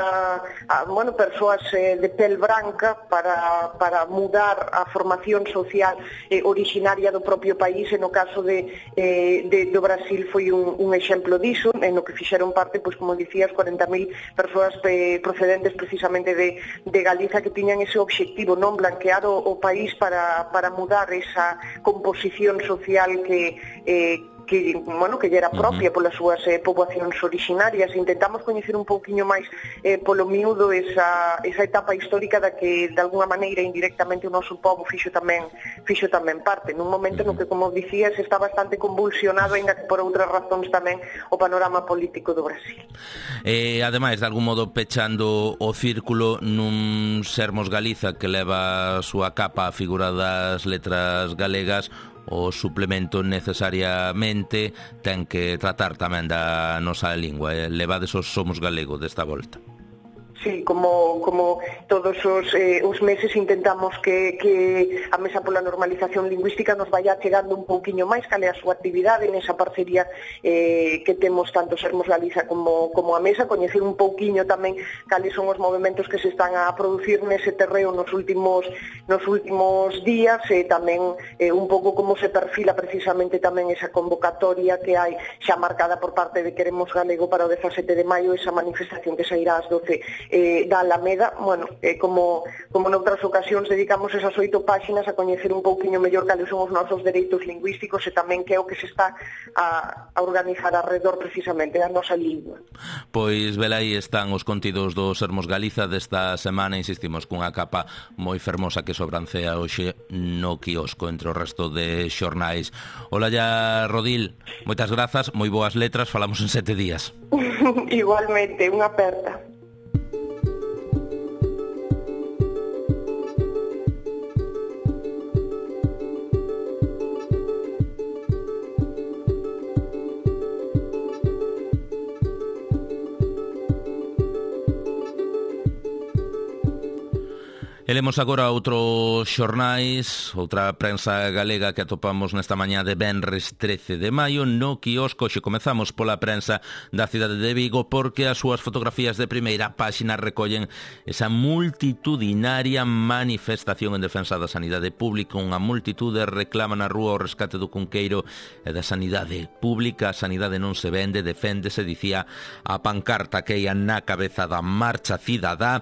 a bueno, persoas eh, de pel branca para, para mudar a formación social eh, originaria do propio país, e no caso de, eh, de, do Brasil foi un, un exemplo diso, en no que fixeron parte, pois como dicías, corenta mil persoas eh, procedentes precisamente de, de Galiza, que tiñan ese obxectivo, non? Blanquear o, o país para, para mudar esa composición social que, eh, que, bueno, que era propia polas súas eh, poboacións orixinarias. Intentamos coñecer un pouquiño máis eh, polo miúdo esa, esa etapa histórica da que, de alguna maneira, indirectamente o noso pobo fixo tamén, fixo tamén parte, nun momento no que, como dicías, está bastante convulsionado, ainda que por outras razóns tamén, o panorama político do Brasil. E, ademais, de algún modo, pechando o círculo nun Sermos Galiza que leva a súa capa a figura das letras galegas, o suplemento necesariamente ten que tratar tamén da nosa lingua. Levades os Somos Galego desta volta. Sí, como, como todos os, eh, os meses intentamos que, que a Mesa pola Normalización Lingüística nos vaya chegando un pouquiño máis cal é a súa actividade nesa parcería eh, que temos tanto Sermos Galiza como, como a Mesa, coñecer un pouquiño tamén cales son os movimentos que se están a producir nese terreo nos últimos, nos últimos días, e tamén eh, un pouco como se perfila precisamente tamén esa convocatoria que hai xa marcada por parte de Queremos Galego para o dezasete de maio, esa manifestación que sairá ás doce eh, da Alameda, bueno, eh, como, como noutras ocasións dedicamos esas oito páxinas a coñecer un pouquiño mellor cales son os nosos dereitos lingüísticos e tamén que é o que se está a, a organizar alrededor precisamente da nosa lingua. Pois, velaí están os contidos do Sermos Galiza desta semana, insistimos, cunha capa moi fermosa que sobrancea hoxe no quiosco entre o resto de xornais. Ola ya, Rodil, moitas grazas, moi boas letras, falamos en sete días. Igualmente, unha aperta. E lemos agora outros xornais, outra prensa galega que atopamos nesta mañá de venres trece de maio no quiosco. Xe comezamos pola prensa da cidade de Vigo porque as súas fotografías de primeira páxina recollen esa multitudinaria manifestación en defensa da sanidade pública. Unha multitude reclama na rúa o rescate do Cunqueiro e da sanidade pública. A sanidade non se vende, deféndese, dicía a pancarta que ia na cabeza da marcha cidadá.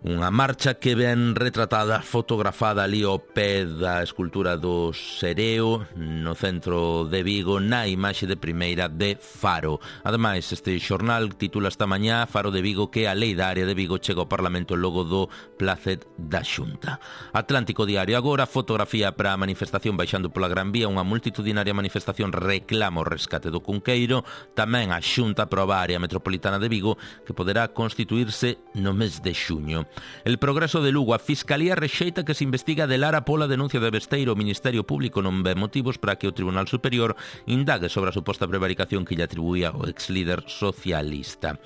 Unha marcha que ven retratada, fotografada ali ao pé da escultura do Sereo no centro de Vigo, na imaxe de primeira de Faro. Ademais, este xornal titula esta mañá Faro de Vigo que a lei da área de Vigo chega ao Parlamento logo do Placet da Xunta. Atlántico Diario agora, fotografía para a manifestación baixando pola Gran Vía, unha multitudinaria manifestación reclama o rescate do Cunqueiro. Tamén a Xunta aproba a área metropolitana de Vigo que poderá constituirse no mes de xuño. El Progreso de Lugo, a Fiscalía rexeita que se investiga de Lara pola denuncia de Besteiro. O Ministerio Público non ve motivos para que o Tribunal Superior indague sobre a suposta prevaricación que lle atribuía o ex-líder socialista.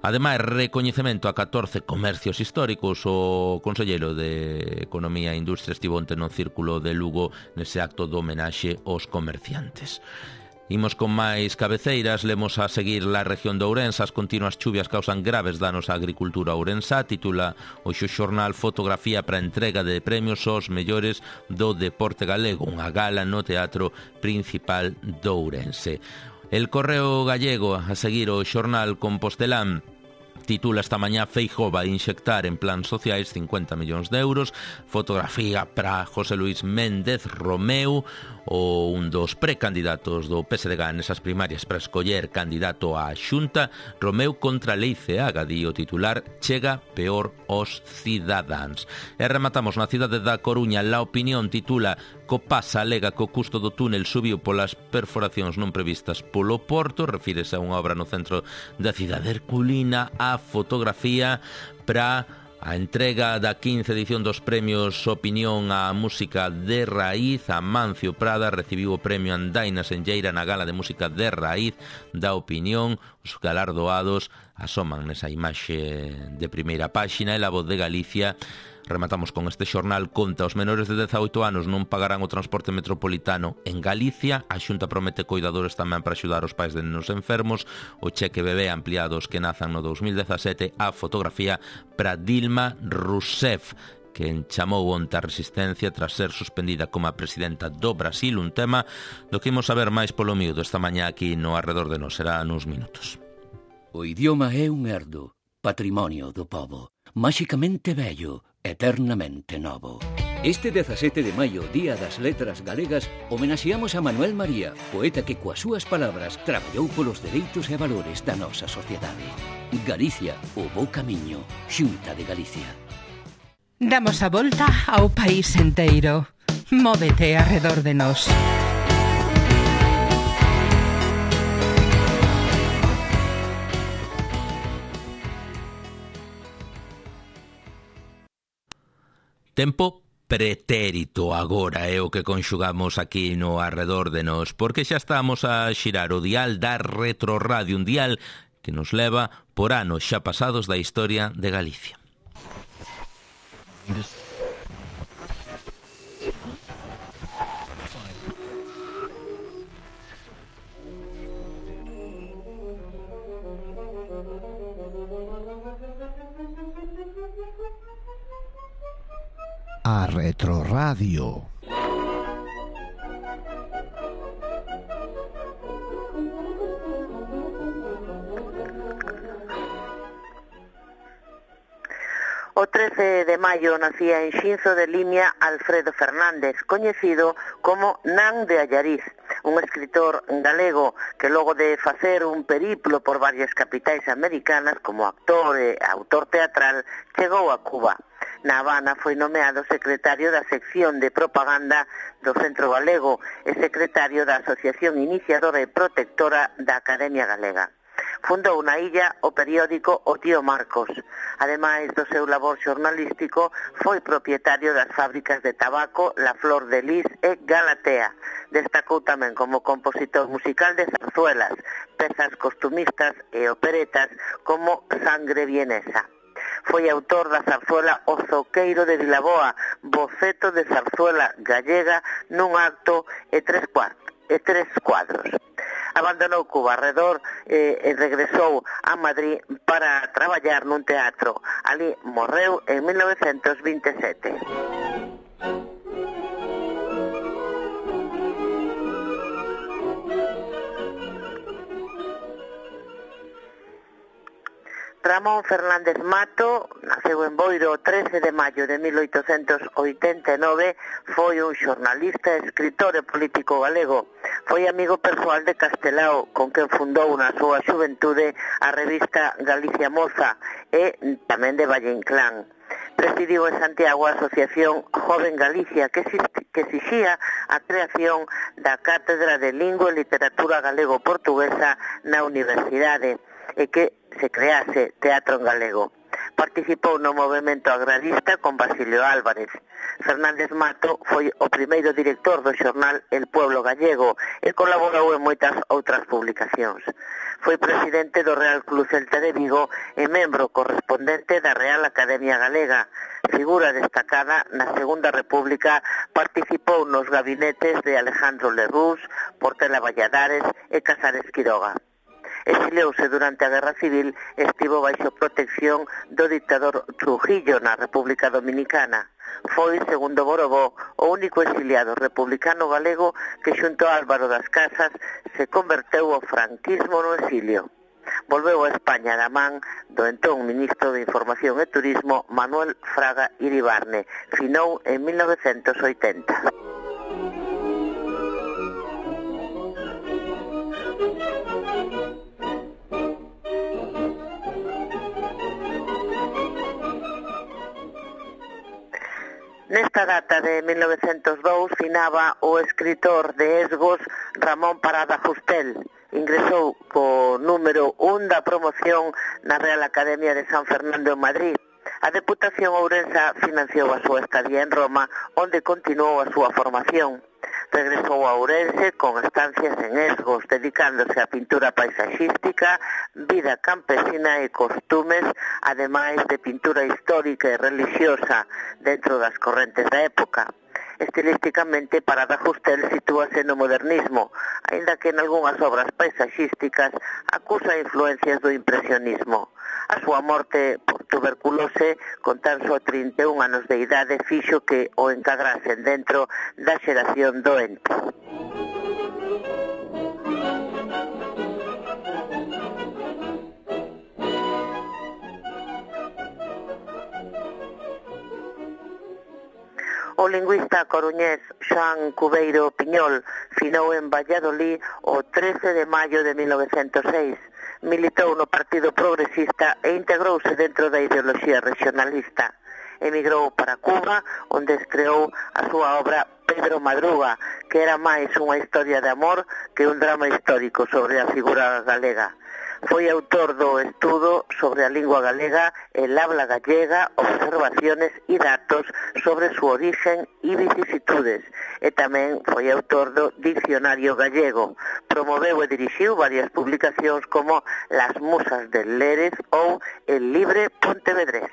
Ademais, recoñecemento a catorce comercios históricos. O conselleiro de Economía e Industria estivo onte no Círculo de Lugo nese acto de homenaxe aos comerciantes. Imos con máis cabeceiras, lemos a seguir la región de Ourense. As continuas chuvias causan graves danos á agricultura ourensá. Titula o xornal Fotografía para a entrega de premios aos mellores do deporte galego, unha gala no Teatro Principal de Ourense. El Correo Gallego, a seguir o xornal Compostelán, titula esta mañá Feijóo vai inxectar en plans sociais cincuenta millóns de euros. Fotografía para José Luis Méndez Romeu, o un dos precandidatos do P S D G nesas primarias para escoller candidato á Xunta. Romeu contra a lei Ceaga, di o titular, chega peor aos cidadáns. E rematamos na cidade da Coruña. La Opinión titula Copasa alega que o custo do túnel subiu polas perforacións non previstas polo Porto. Refírese a unha obra no centro da cidade herculina. A fotografía para a entrega da quince edición dos premios Opinión á música de raíz. Amancio Prada recibiu o premio Andaina Senlleira na gala de música de raíz da Opinión. Os galardoados asoman nesa imaxe de primeira páxina. E La Voz de Galicia, rematamos con este xornal, conta os menores de dezaoito anos non pagarán o transporte metropolitano en Galicia. A Xunta promete coidadores tamén para axudar os pais de nenos enfermos. O cheque bebé ampliado aos que nazan no dos mil dezasete. A fotografía para Dilma Rousseff, que chamou onte a resistencia tras ser suspendida como a presidenta do Brasil. Un tema do que imos saber máis polo miúdo esta mañá aquí no Arredor de Nós. Será nuns minutos. O idioma é un herdo, patrimonio do pobo, máxicamente bello, eternamente novo. Este dezasete de maio, Día das Letras Galegas, homenaxeamos a Manuel María, poeta que coas súas palabras traballou polos dereitos e valores da nosa sociedade. Galicia, o bo camiño, Xunta de Galicia. Damos a volta ao país enteiro. Móvete arredor de nós. Tempo pretérito agora é o que conxugamos aquí no Arredor de Nós, porque xa estamos a xirar o dial da Retroradio, un dial que nos leva por anos xa pasados da historia de Galicia. A Retroradio. O trece de maio nacía en Xinzo de Limia Alfredo Fernández, coñecido como Nan de Allariz, un escritor galego que logo de facer un periplo por varias capitais americanas como actor e autor teatral, chegou a Cuba. Na Habana foi nomeado secretario da sección de propaganda do Centro Galego e secretario da Asociación Iniciadora e Protectora da Academia Galega. Fundou na illa o periódico O Tío Marcos. Ademais do seu labor xornalístico, foi propietario das fábricas de tabaco La Flor de Lis e Galatea. Destacou tamén como compositor musical de zarzuelas, pezas costumistas e operetas como Sangre Vienesa. Foi autor da zarzuela O Zoqueiro de Vilaboa, boceto de zarzuela gallega nun acto e tres cuartos. e tres cuadros. Abandonou Cuba arredor e, e regresou a Madrid para traballar nun teatro. Ali morreu en mil novecentos vinte e sete. Ramón Fernández Mato naceu en Boiro o trece de maio de mil oitocentos oitenta e nove, foi un xornalista, escritor e político galego. Foi amigo persoal de Castelao, con quen fundou na súa xuventude a revista Galicia Moza e tamén de Valle Inclán. Presidiu en Santiago a Asociación Joven Galicia, que, que exixía a creación da Cátedra de Lingua e Literatura Galego-Portuguesa na Universidade e que se crease teatro en galego. Participou no movimento agrarista con Basilio Álvarez. Fernández Mato foi o primeiro director do xornal El Pueblo Gallego e colaborou en moitas outras publicacións. Foi presidente do Real Club Celta de Vigo e membro correspondente da Real Academia Galega. Figura destacada na Segunda República, participou nos gabinetes de Alejandro Lerroux, Portela Valladares e Casares Quiroga. Exiliouse durante a Guerra Civil e estivo baixo protección do dictador Trujillo na República Dominicana. Foi, segundo Borobó, o único exiliado republicano galego que xunto a Álvaro das Casas se converteu ao franquismo no exilio. Volveu a España da man do entón ministro de Información e Turismo Manuel Fraga Iribarne. Finou en mil novecentos oitenta. Nesta data de mil novecentos dous finaba o escritor de Esgos Ramón Parada Justel. Ingresou co número un da promoción na Real Academia de San Fernando en Madrid. A Deputación Ourensa financiou a súa estadía en Roma, onde continuou a súa formación. Regresou a Ourense con estancias en Esgos, dedicándose á pintura paisaxística, vida campesina e costumes, ademais de pintura histórica e religiosa dentro das correntes da época. Estilísticamente, Parada Justel sitúase no modernismo, aínda que en algunhas obras paisaxísticas acusa influencias do impresionismo. A súa morte por tuberculose, con tan só trinta e un anos de idade, fixo que o encadrasen dentro da xeración doente. O lingüista coruñés Xoán Cubeiro Piñol finou en Valladolid o trece de maio de mil novecentos seis. Militou no Partido Progresista e integrouse dentro da ideoloxía regionalista. Emigrou para Cuba, onde estreou a súa obra Pedro Madruga, que era máis unha historia de amor que un drama histórico sobre a figura galega. Foi autor do estudo sobre a lingua galega, el habla gallega, observaciones e datos sobre su origen e vicisitudes, e tamén foi autor do Diccionario Gallego. Promoveu e dirixiu varias publicacións como Las Musas del Lérez ou El Libre Pontevedrés.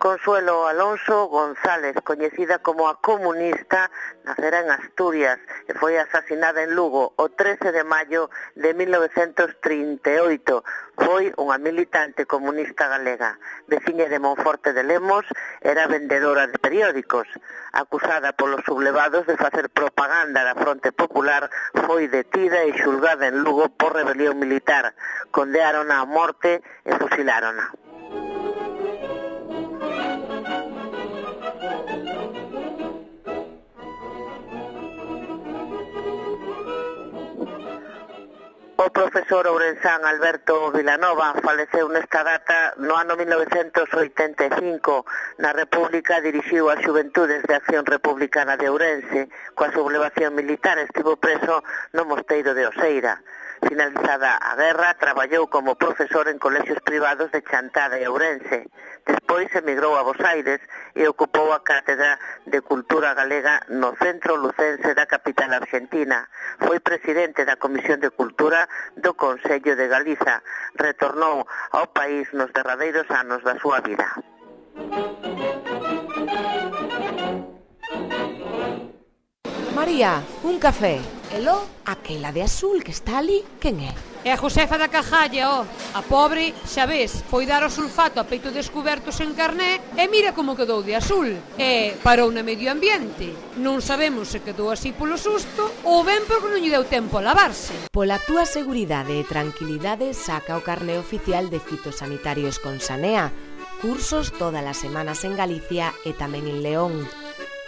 Consuelo Alonso González, coñecida como a comunista, nacera en Asturias e foi asasinada en Lugo o trece de maio de mil novecentos trinta e oito. Foi unha militante comunista galega. Veciña de Monforte de Lemos, era vendedora de periódicos. Acusada polos sublevados de facer propaganda da Fronte Popular, foi detida e xulgada en Lugo por rebelión militar. Condeárona a morte e fusilárona. O profesor ourensán Alberto Vilanova faleceu nesta data no ano mil novecentos oitenta e cinco. Na República dirixiu as Xuventudes de Acción Republicana de Ourense. Coa sublevación militar estivo preso no mosteiro de Oseira. Finalizada a guerra, traballou como profesor en colexios privados de Chantada e Ourense. Despois emigrou a Bos Aires e ocupou a cátedra de Cultura Galega no Centro Lucense da capital argentina. Foi presidente da Comisión de Cultura do Consello de Galiza. Retornou ao país nos derradeiros anos da súa vida. María, un café. Elo, aquela de azul que está ali, quen é? É a Josefa da Cajalla, ó. A pobre, xa ves, foi dar o sulfato a peito descubertos en carné e mira como quedou de azul. E parou na medio ambiente. Non sabemos se quedou así polo susto ou ben porque non lle deu tempo a lavarse. Pola túa seguridade e tranquilidade, saca o carné oficial de fitosanitarios con Sanea. Cursos todas as semanas en Galicia e tamén en León.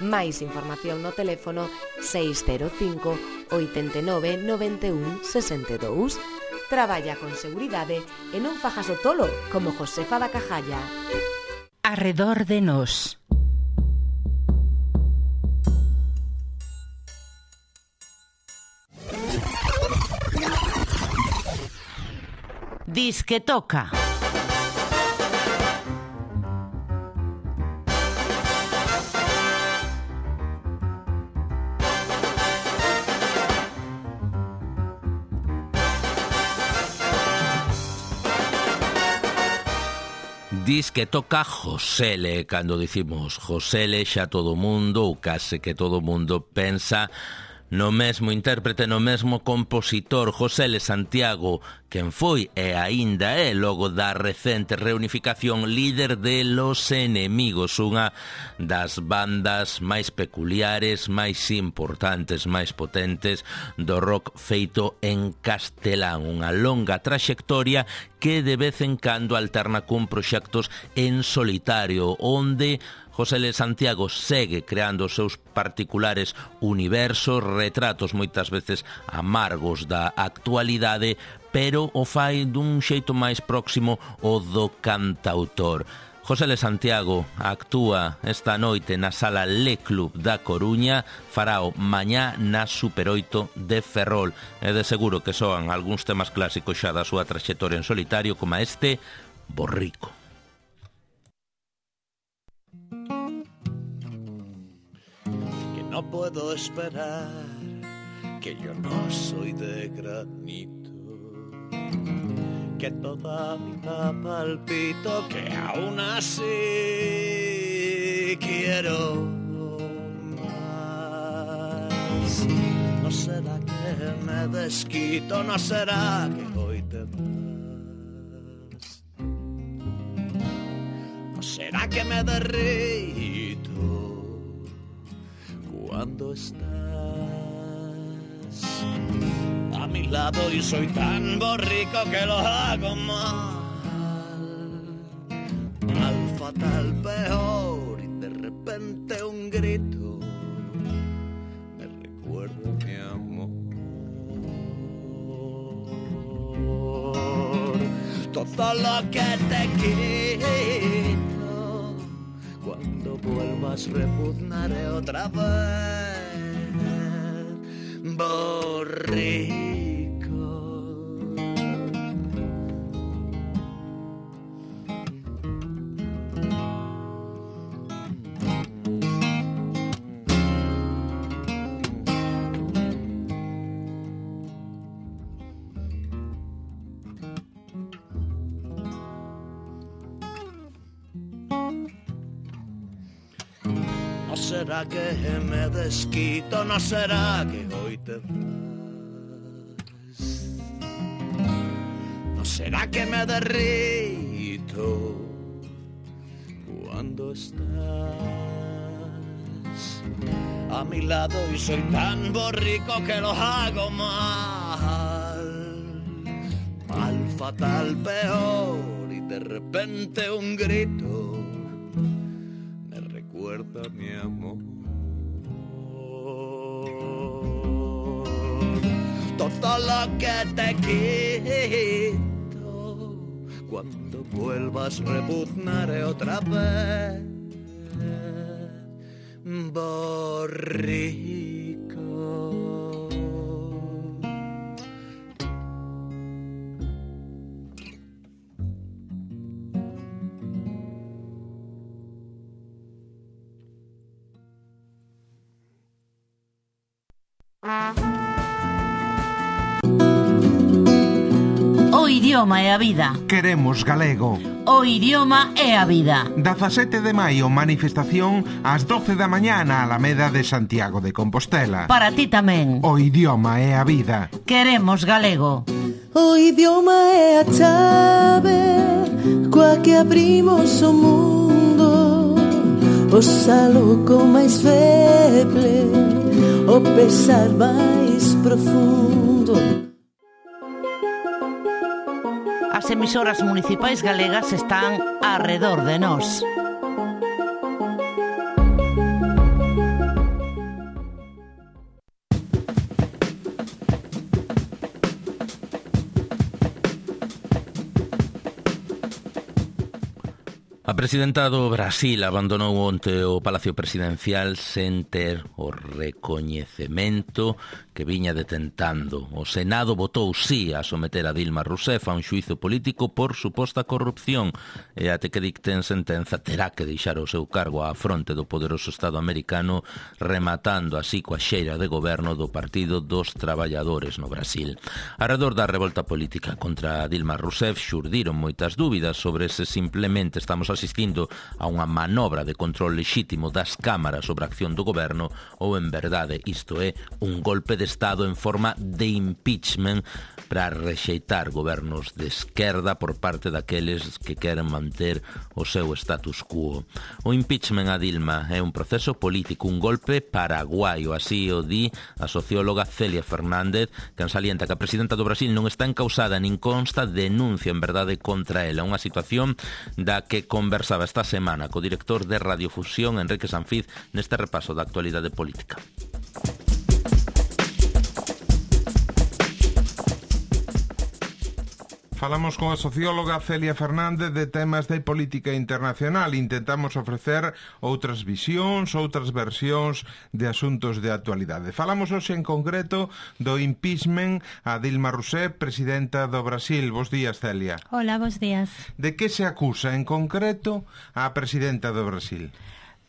Máis información no teléfono seis cero cinco, oito nove, nove un, seis dous. Traballa con seguridade e non fajas o tolo como Josefa da Cajalla. Arredor de nós. Disque toca. Dis que toca Josele. Cando dicimos Josele, xa todo o mundo, ou case que todo o mundo, pensa no mesmo intérprete, no mesmo compositor, Josele Santiago, quen foi e aínda é, logo da recente reunificación, líder de Los Enemigos, unha das bandas máis peculiares, máis importantes, máis potentes do rock feito en castelán. Unha longa traxectoria que de vez en cando alterna cun proxectos en solitario, onde Josele Santiago segue creando os seus particulares universos, retratos moitas veces amargos da actualidade, pero o fai dun xeito máis próximo ao do cantautor. Josele Santiago actúa esta noite na Sala Le Club da Coruña, farao mañá na Super oito de Ferrol. E de seguro que soan algúns temas clásicos xa da súa traxectoria en solitario, como este, Borrico. No puedo esperar, que yo no soy de granito, que todavía palpito, que aún así quiero más. No será que me desquito, no será que hoy te vas, no será que me derrito cuando estás a mi lado y soy tan borrico que lo hago mal, mal, fatal, peor, y de repente un grito me recuerda mi amor, todo lo que te quito, cuando vuelvas repugnaré otra vez, borrico. No será que me desquito, no será que hoy te vas. No será que me derrito cuando estás a mi lado y soy tan borrico que lo hago mal, mal, fatal, peor, y de repente un grito me recuerda mi amor. Todo lo que te quito, cuando vuelvas repugnaré otra vez, borrico. O idioma é a vida. Queremos galego. O idioma é a vida. dezasete de maio, manifestación ás doce da mañá na Alameda de Santiago de Compostela. Para ti tamén. O idioma é a vida. Queremos galego. O idioma é a chave coa que abrimos o mundo, o saluco máis feble, o pesar máis profundo. As emisoras municipais galegas están arredor de nós. A presidenta do Brasil abandonou onte o Palacio Presidencial sen ter o recoñecemento que viña detentando. O Senado votou sí a someter a Dilma Rousseff a un xuízo político por suposta corrupción e até que dicten sentenza terá que deixar o seu cargo á fronte do poderoso Estado americano, rematando así coa xeira de goberno do Partido dos Traballadores no Brasil. Arredor da revolta política contra Dilma Rousseff xurdiron moitas dúbidas sobre se simplemente estamos asistindo a unha manobra de control lexítimo das cámaras sobre a acción do goberno ou en verdade isto é un golpe de Estado en forma de impeachment para rexeitar gobernos de esquerda por parte daqueles que queren manter o seu status quo. O impeachment a Dilma é un proceso político, un golpe paraguaio, así o di a socióloga Celia Fernández, que salienta que a presidenta do Brasil non está encausada nin consta denuncia en verdade contra ela, unha situación da que conversaba esta semana co director de Radiofusión, Enrique Sanfiz, neste repaso da actualidade política. Falamos con a socióloga Celia Fernández de temas de política internacional. Intentamos ofrecer outras visións, outras versións de asuntos de actualidade. Falamos hoxe en concreto do impeachment a Dilma Rousseff, presidenta do Brasil. Bos días, Celia. Hola, bos días. De que se acusa en concreto a presidenta do Brasil?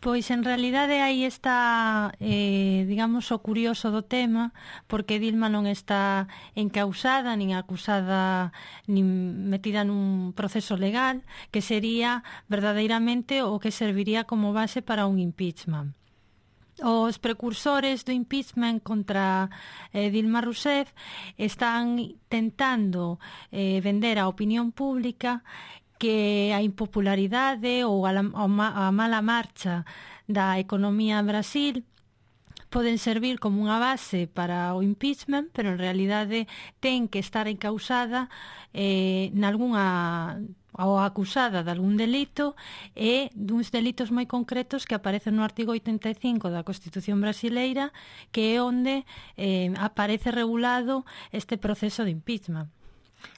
Pois en realidade aí está, eh, digamos, o curioso do tema, porque Dilma non está encausada, nin acusada, nin metida nun proceso legal, que sería verdadeiramente o que serviría como base para un impeachment. Os precursores do impeachment contra eh, Dilma Rousseff están tentando eh, vender á opinión pública que a impopularidade ou a, a mala marcha da economía en Brasil poden servir como unha base para o impeachment, pero en realidade ten que estar encausada eh, nalgúnha ou acusada de algún delito e duns delitos moi concretos que aparecen no artigo oitenta e cinco da Constitución brasileira, que é onde eh, aparece regulado este proceso de impeachment.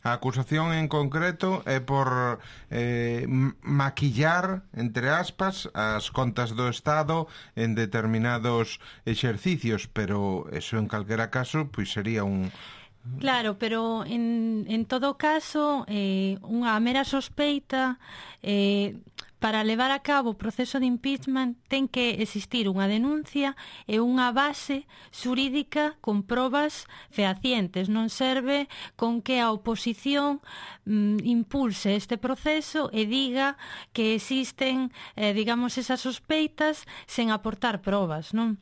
A acusación en concreto é por eh, maquillar, entre aspas, as contas do Estado en determinados exercicios, pero eso en calquera caso pois sería un... Claro, pero en, en todo caso eh, unha mera sospeita eh, para levar a cabo o proceso de impeachment ten que existir unha denuncia e unha base xurídica con probas fehacientes. Non serve con que a oposición mm, impulse este proceso e diga que existen, eh, digamos, esas sospeitas sen aportar probas, non?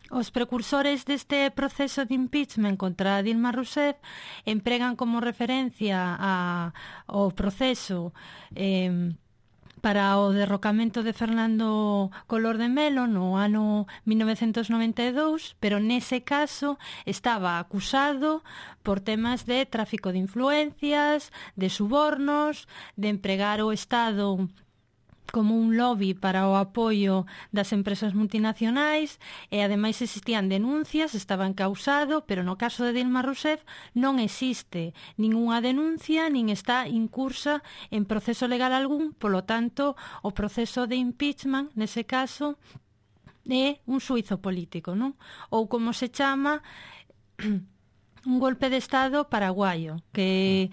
Os precursores deste proceso de impeachment contra Dilma Rousseff empregan como referencia a, ao proceso eh, para o derrocamento de Fernando Collor de Mello no ano mil novecentos noventa e dous, pero nese caso estaba acusado por temas de tráfico de influencias, de subornos, de empregar o Estado como un lobby para o apoio das empresas multinacionais e ademais existían denuncias, estaba encausado, pero no caso de Dilma Rousseff non existe ningunha denuncia nin está incursa en proceso legal algún, polo tanto o proceso de impeachment nese caso é un suizo político, non? Ou como se chama un golpe de Estado paraguayo, que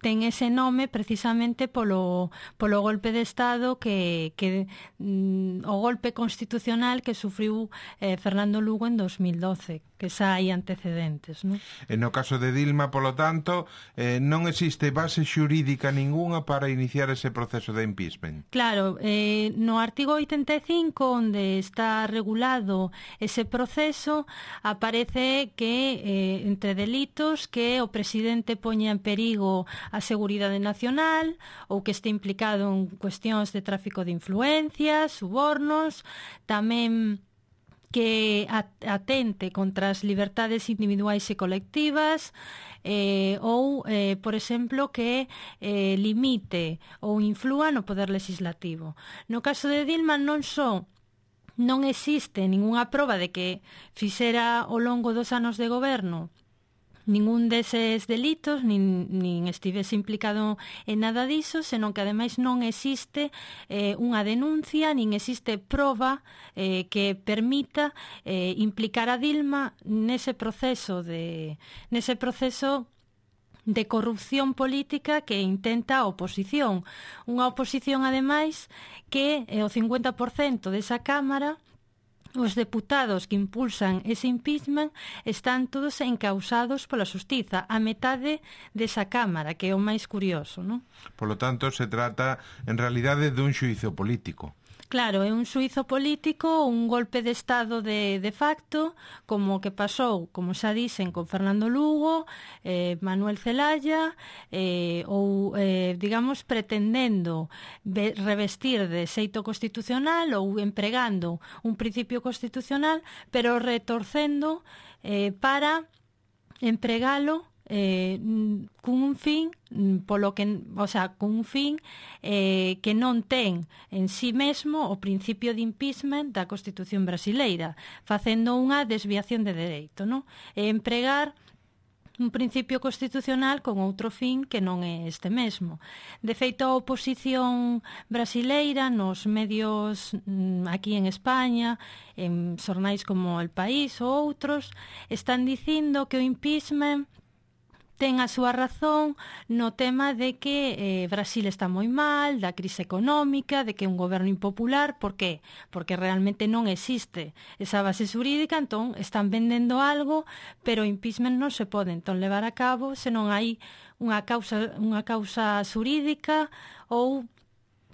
ten ese nome precisamente polo, polo golpe de Estado que, que mm, o golpe constitucional que sufriu eh, Fernando Lugo en dos mil doce, que xa hai antecedentes, non? E no caso de Dilma, polo tanto, eh, non existe base xurídica ningunha para iniciar ese proceso de impeachment. Claro, eh, no artigo oitenta e cinco, onde está regulado ese proceso, aparece que eh, entre delitos que o presidente poña en perigo a seguridade nacional ou que este implicado en cuestións de tráfico de influencias, subornos, tamén que atente contra as libertades individuais e colectivas eh, ou, eh, por exemplo, que eh, limite ou inflúa no poder legislativo. No caso de Dilma non só non existe ningunha proba de que fixera ao longo dos anos de goberno ningún deses delitos, nin, nin estivese implicado en nada diso, senón que ademais non existe eh, unha denuncia, nin existe proba eh, que permita eh, implicar a Dilma nese proceso de nese proceso de corrupción política que intenta a oposición. Unha oposición, ademais, que eh, o cincuenta por cento desa Cámara, os deputados que impulsan ese impeachment, están todos encausados pola xustiza, a metade desa Cámara, que é o máis curioso, non? Polo tanto, se trata, en realidade, dun xuízo político. Claro, é un suizo político, un golpe de Estado de, de facto, como que pasou, como xa dicen, con Fernando Lugo, eh, Manuel Zelaya, eh, ou, eh, digamos, pretendendo be, revestir de xeito constitucional ou empregando un principio constitucional, pero retorcendo eh, para empregalo eh, cun un fin polo que, o sea, con un fin eh, que non ten en sí mesmo o principio de impeachment da Constitución brasileira, facendo unha desviación de dereito, non? E empregar un principio constitucional con outro fin que non é este mesmo. De feito, a oposición brasileira nos medios aquí en España, en xornais como El País ou outros, están dicindo que o impeachment ten a súa razón no tema de que eh, Brasil está moi mal, da crise económica, de que é un goberno impopular. Por qué? Porque realmente non existe esa base xurídica, entón están vendendo algo, pero o impeachment non se pode entón levar a cabo se non hai unha causa, unha causa xurídica ou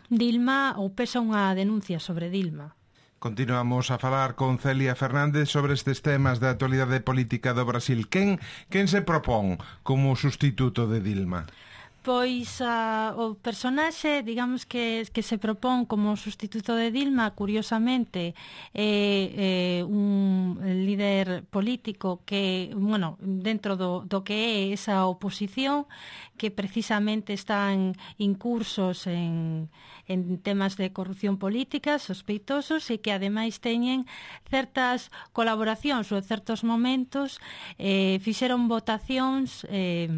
Dilma, ou pesa unha denuncia sobre Dilma. Continuamos a falar con Celia Fernández sobre estes temas da actualidade política do Brasil. Quen, quen se propón como sustituto de Dilma? Pois uh, o personaxe, digamos, que, que se propón como sustituto de Dilma, curiosamente, é eh, un líder político que, bueno, dentro do, do que é esa oposición, que precisamente están incursos en, en temas de corrupción política, sospeitosos, e que ademais teñen certas colaboracións ou certos momentos, eh, fixeron votacións eh,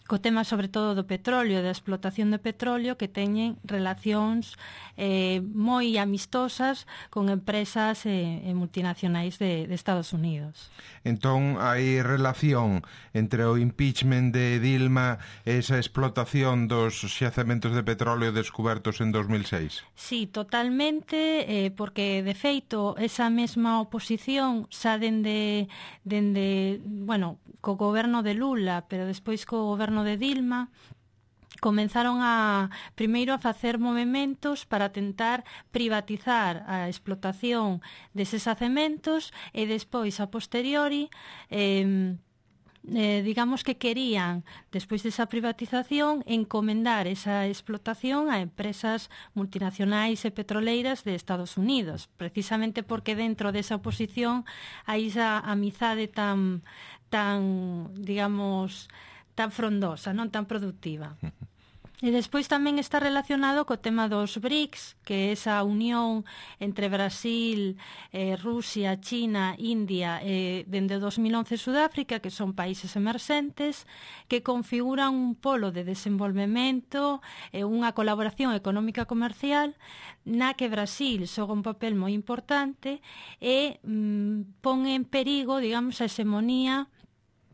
co tema sobre todo do petróleo, da explotación do petróleo, que teñen relacións eh, moi amistosas con empresas e eh, multinacionais de, de Estados Unidos. Entón, hai relación entre o impeachment de Dilma e esa explotación dos xacementos de petróleo descubertos en dos mil seis? Sí, totalmente, eh, porque, de feito, esa mesma oposición xa dende, dende, bueno, co goberno de Lula, pero despois co goberno de Dilma, comenzaron a primeiro a facer movementos para tentar privatizar a explotación deses xacementos e despois, a posteriori, eh, eh, digamos que querían, despois desa privatización, encomendar esa explotación a empresas multinacionais e petroleiras de Estados Unidos, precisamente porque dentro desa oposición hai esa amizade tan, tan, digamos, tan frondosa, non tan productiva. E despois tamén está relacionado co tema dos BRICS, que é esa unión entre Brasil, eh, Rusia, China, India e dende o dos mil once Sudáfrica, que son países emerxentes, que configuran un polo de desenvolvemento e unha colaboración económica comercial na que Brasil xoga un papel moi importante e mm, pon en perigo, digamos, a hexemonía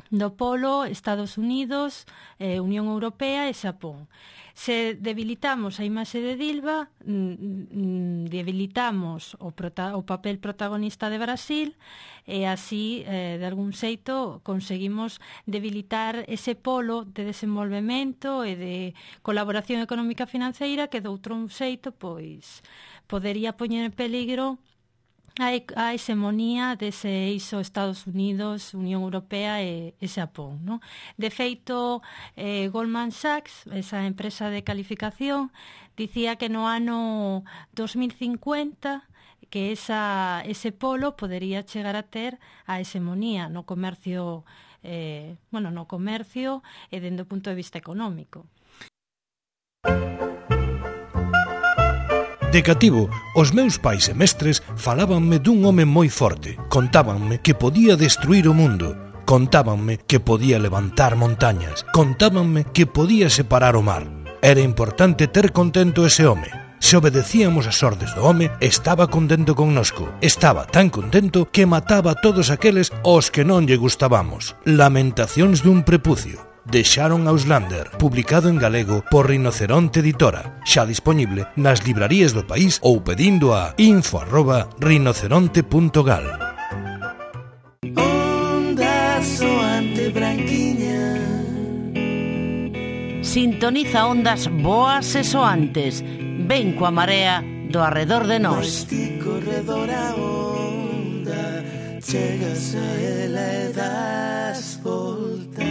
do polo Estados Unidos, eh, Unión Europea e Xapón. Se debilitamos a imaxe de Dilma, mm, debilitamos o, prota o papel protagonista de Brasil e así, eh, de algún xeito, conseguimos debilitar ese polo de desenvolvemento e de colaboración económica financeira que, de outro xeito, pois, podería poñer en peligro a hexemonía dese eixo Estados Unidos, Unión Europea e, e Xapón, ¿no? De feito, eh, Goldman Sachs, esa empresa de calificación, dicía que no ano dos mil cincuenta que esa, ese polo podería chegar a ter a hexemonía no comercio, eh, bueno, no comercio e dende o punto de vista económico. De cativo, os meus pais e mestres falábanme dun home moi forte. Contábanme que podía destruir o mundo. Contábanme que podía levantar montañas. Contábanme que podía separar o mar. Era importante ter contento ese home. Se obedecíamos as ordes do home, estaba contento connosco. Estaba tan contento que mataba a todos aqueles aos que non lle gustábamos. Lamentacións dun prepucio, de Sharon Auslander, publicado en galego por Rinoceronte Editora, xa dispoñible nas librarías do país ou pedindo a info arroba rinoceronte punto gal. Onda soante branquiña, sintoniza ondas boas e soantes. Ven coa marea do arredor de nós. Ti corredor a onda, chegas a ela e das volta.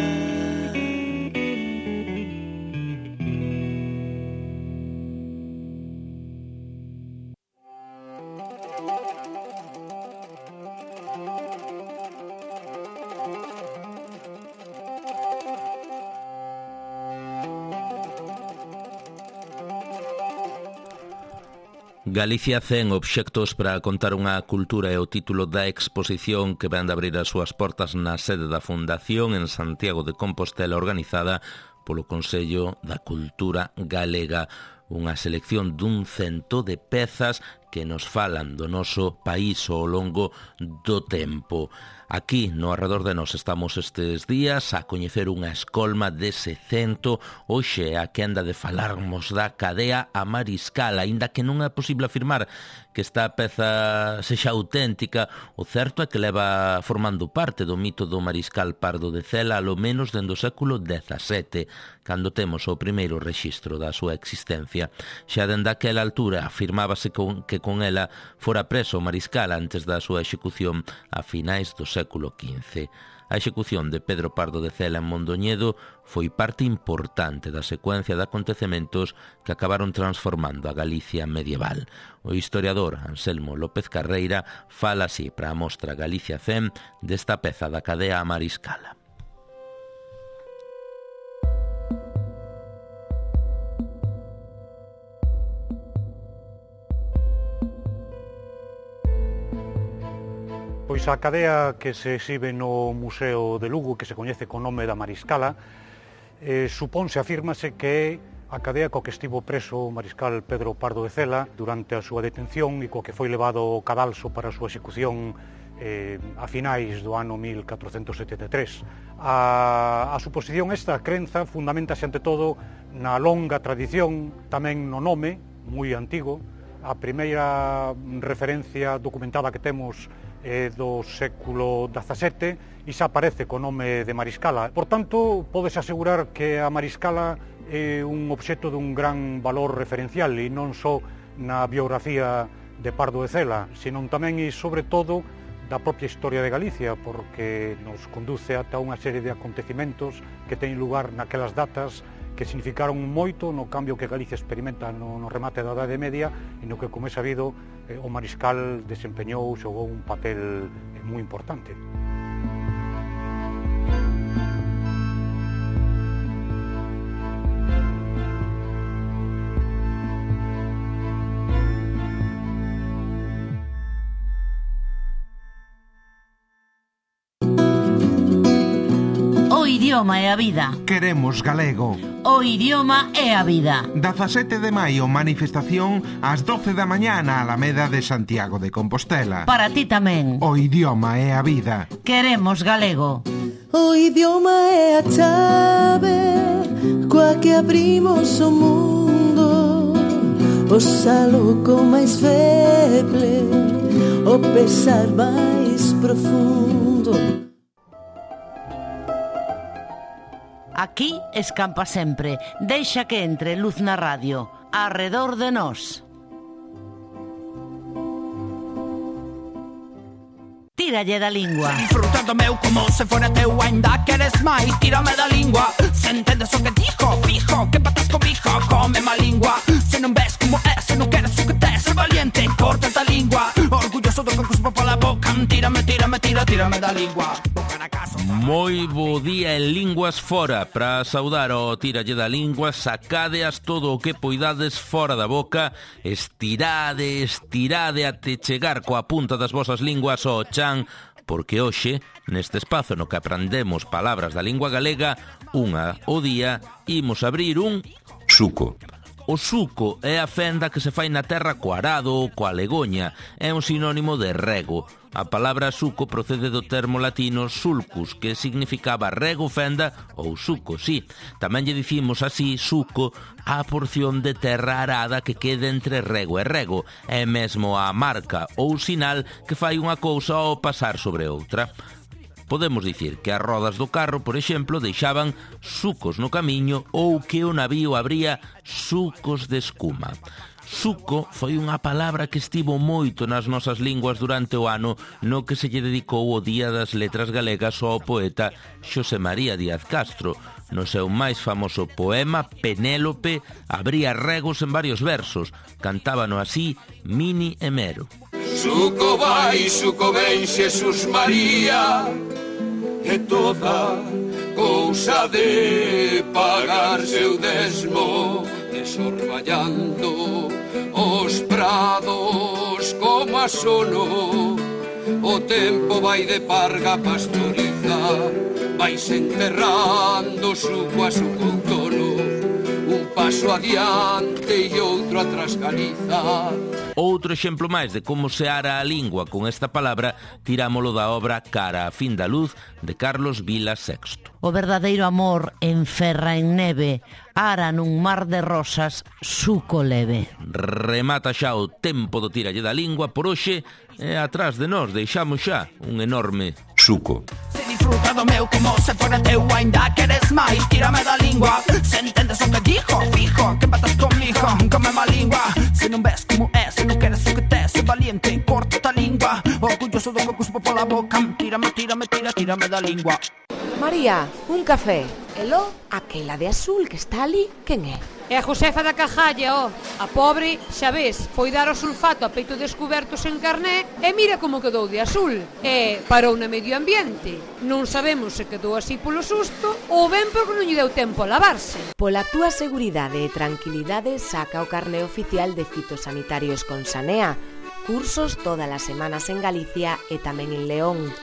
Galicia cen obxectos para contar unha cultura é o título da exposición que van de abrir as súas portas na sede da Fundación en Santiago de Compostela, organizada polo Consello da Cultura Galega. Unha selección dun cento de pezas que nos falan do noso país ao longo do tempo. Aquí, no arredor de nós, estamos estes días a coñecer unha escolma dese cento. Hoxe a que anda de falarmos da cadea a Mariscal, aínda que non é posible afirmar que esta peza sexa auténtica. O certo é que leva formando parte do mito do Mariscal Pardo de Cela alo menos dende o século dezasete, cando temos o primeiro rexistro da súa existencia. Xa dende aquela altura afirmábase con, que con ela fora preso o Mariscal antes da súa execución a finais do século quince. A execución de Pedro Pardo de Cela en Mondoñedo foi parte importante da secuencia de acontecementos que acabaron transformando a Galicia medieval. O historiador Anselmo López Carreira fala así para a mostra Galicia cen desta peza da cadea a Mariscala. Pois a cadea que se exhibe no Museo de Lugo, que se coñece co nome da Mariscala, eh, supónse, afírmase que é a cadea co que estivo preso o mariscal Pedro Pardo de Cela durante a súa detención e co que foi levado ao cadalso para a súa execución eh, a finais do ano mil catrocentos setenta e tres. A, a suposición esta, a crenza, fundamentase ante todo na longa tradición, tamén no nome, moi antigo. A primeira referencia documentada que temos é do século dezasete e xa aparece co nome de Mariscala. Por tanto, podes asegurar que a Mariscala é un obxecto dun gran valor referencial e non só na biografía de Pardo de Cela, senón tamén e sobre todo da propia historia de Galicia, porque nos conduce ata unha serie de acontecimentos que teñen lugar naquelas datas que significaron moito no cambio que Galicia experimenta no, no remate da Idade Media e no que, como é sabido, eh, o mariscal desempeñou, xogou un papel eh, moi importante. O idioma é a vida. Queremos galego. O idioma é a vida. dezasete de maio, manifestación ás doce da mañá na Alameda de Santiago de Compostela. Para ti tamén. O idioma é a vida. Queremos galego. O idioma é a chave coa que abrimos o mundo, o saluco máis feble, o pesar máis profundo. Aquí escampa sempre. Deixa que entre luz na radio. Arredor de nós. Tíralle da lingua. Se disfruta do meu como se fora teu, ainda queres máis, tírame da lingua. Se entendes o que dijo, fijo, que patas comigo, come má lingua. Se non ves como é, se non queres o que tes, ser valiente, corta a lingua. Orgulloso do que cuspo pola boca, tírame, tírame, tira, tírame da lingua. Moi bo día en Linguas Fora. Para saudar o Tíralle da Lingua, sacadeas todo o que poidades fora da boca, estirade, estirade até chegar coa punta das vosas linguas ao chan, porque hoxe, neste espazo no que aprendemos palabras da lingua galega, unha o día, imos abrir un suco. O suco é a fenda que se fai na terra co arado ou coa legoña. É un sinónimo de rego. A palabra suco procede do termo latino sulcus, que significaba rego, fenda ou suco, sí. Tamén lle dicimos así suco á porción de terra arada que quede entre rego e rego. É mesmo a marca ou sinal que fai unha cousa ao pasar sobre outra. Podemos dicir que as rodas do carro, por exemplo, deixaban sucos no camiño ou que o navío abría sucos de escuma. Suco foi unha palabra que estivo moito nas nosas linguas durante o ano no que se lle dedicou o Día das Letras Galegas ao poeta Xosé María Díaz Castro. No seu máis famoso poema, Penélope, abría regos en varios versos. Cantábano así Mini e Mero. Suco vai, suco ven, Xesús María, e toda cousa de pagar seu desmo, desorballando os prados como a sono. O tempo vai de parga pastoriza, vai se enterrando suco a suco outono, un paso adiante e outro atrás Galiza. Outro exemplo máis de como se ara a lingua con esta palabra tirámolo da obra Cara a fin da luz de Carlos Vila Sexto. O verdadeiro amor enferra en neve, ara nun mar de rosas, suco leve. Remata xa o tempo do Tíralle da Lingua por hoxe e atrás de nós deixamos xa un enorme suco. Se disfruta do meu como se fora teu, ainda queres máis, tírame da lingua. Se entendes o que dijo, fijo, que patas comigo, come má lingua. Se non ves como é, se non queres o que tes, ser valiente, corta a lingua. Orgulloso do que cuspo pola boca, tírame, tírame, tira, tírame da lingua. María, un café. Elo, aquela de azul que está ali, quen é? É a Josefa da Cajalla, ó. A pobre, xa ves, foi dar o sulfato a peito descubertos en carné e mira como quedou de azul. E parou na medio ambiente. Non sabemos se quedou así polo susto ou ben porque non lle deu tempo a lavarse. Pola túa seguridade e tranquilidade, saca o carné oficial de fitosanitarios con Sanea. Cursos todas as semanas en Galicia e tamén en León.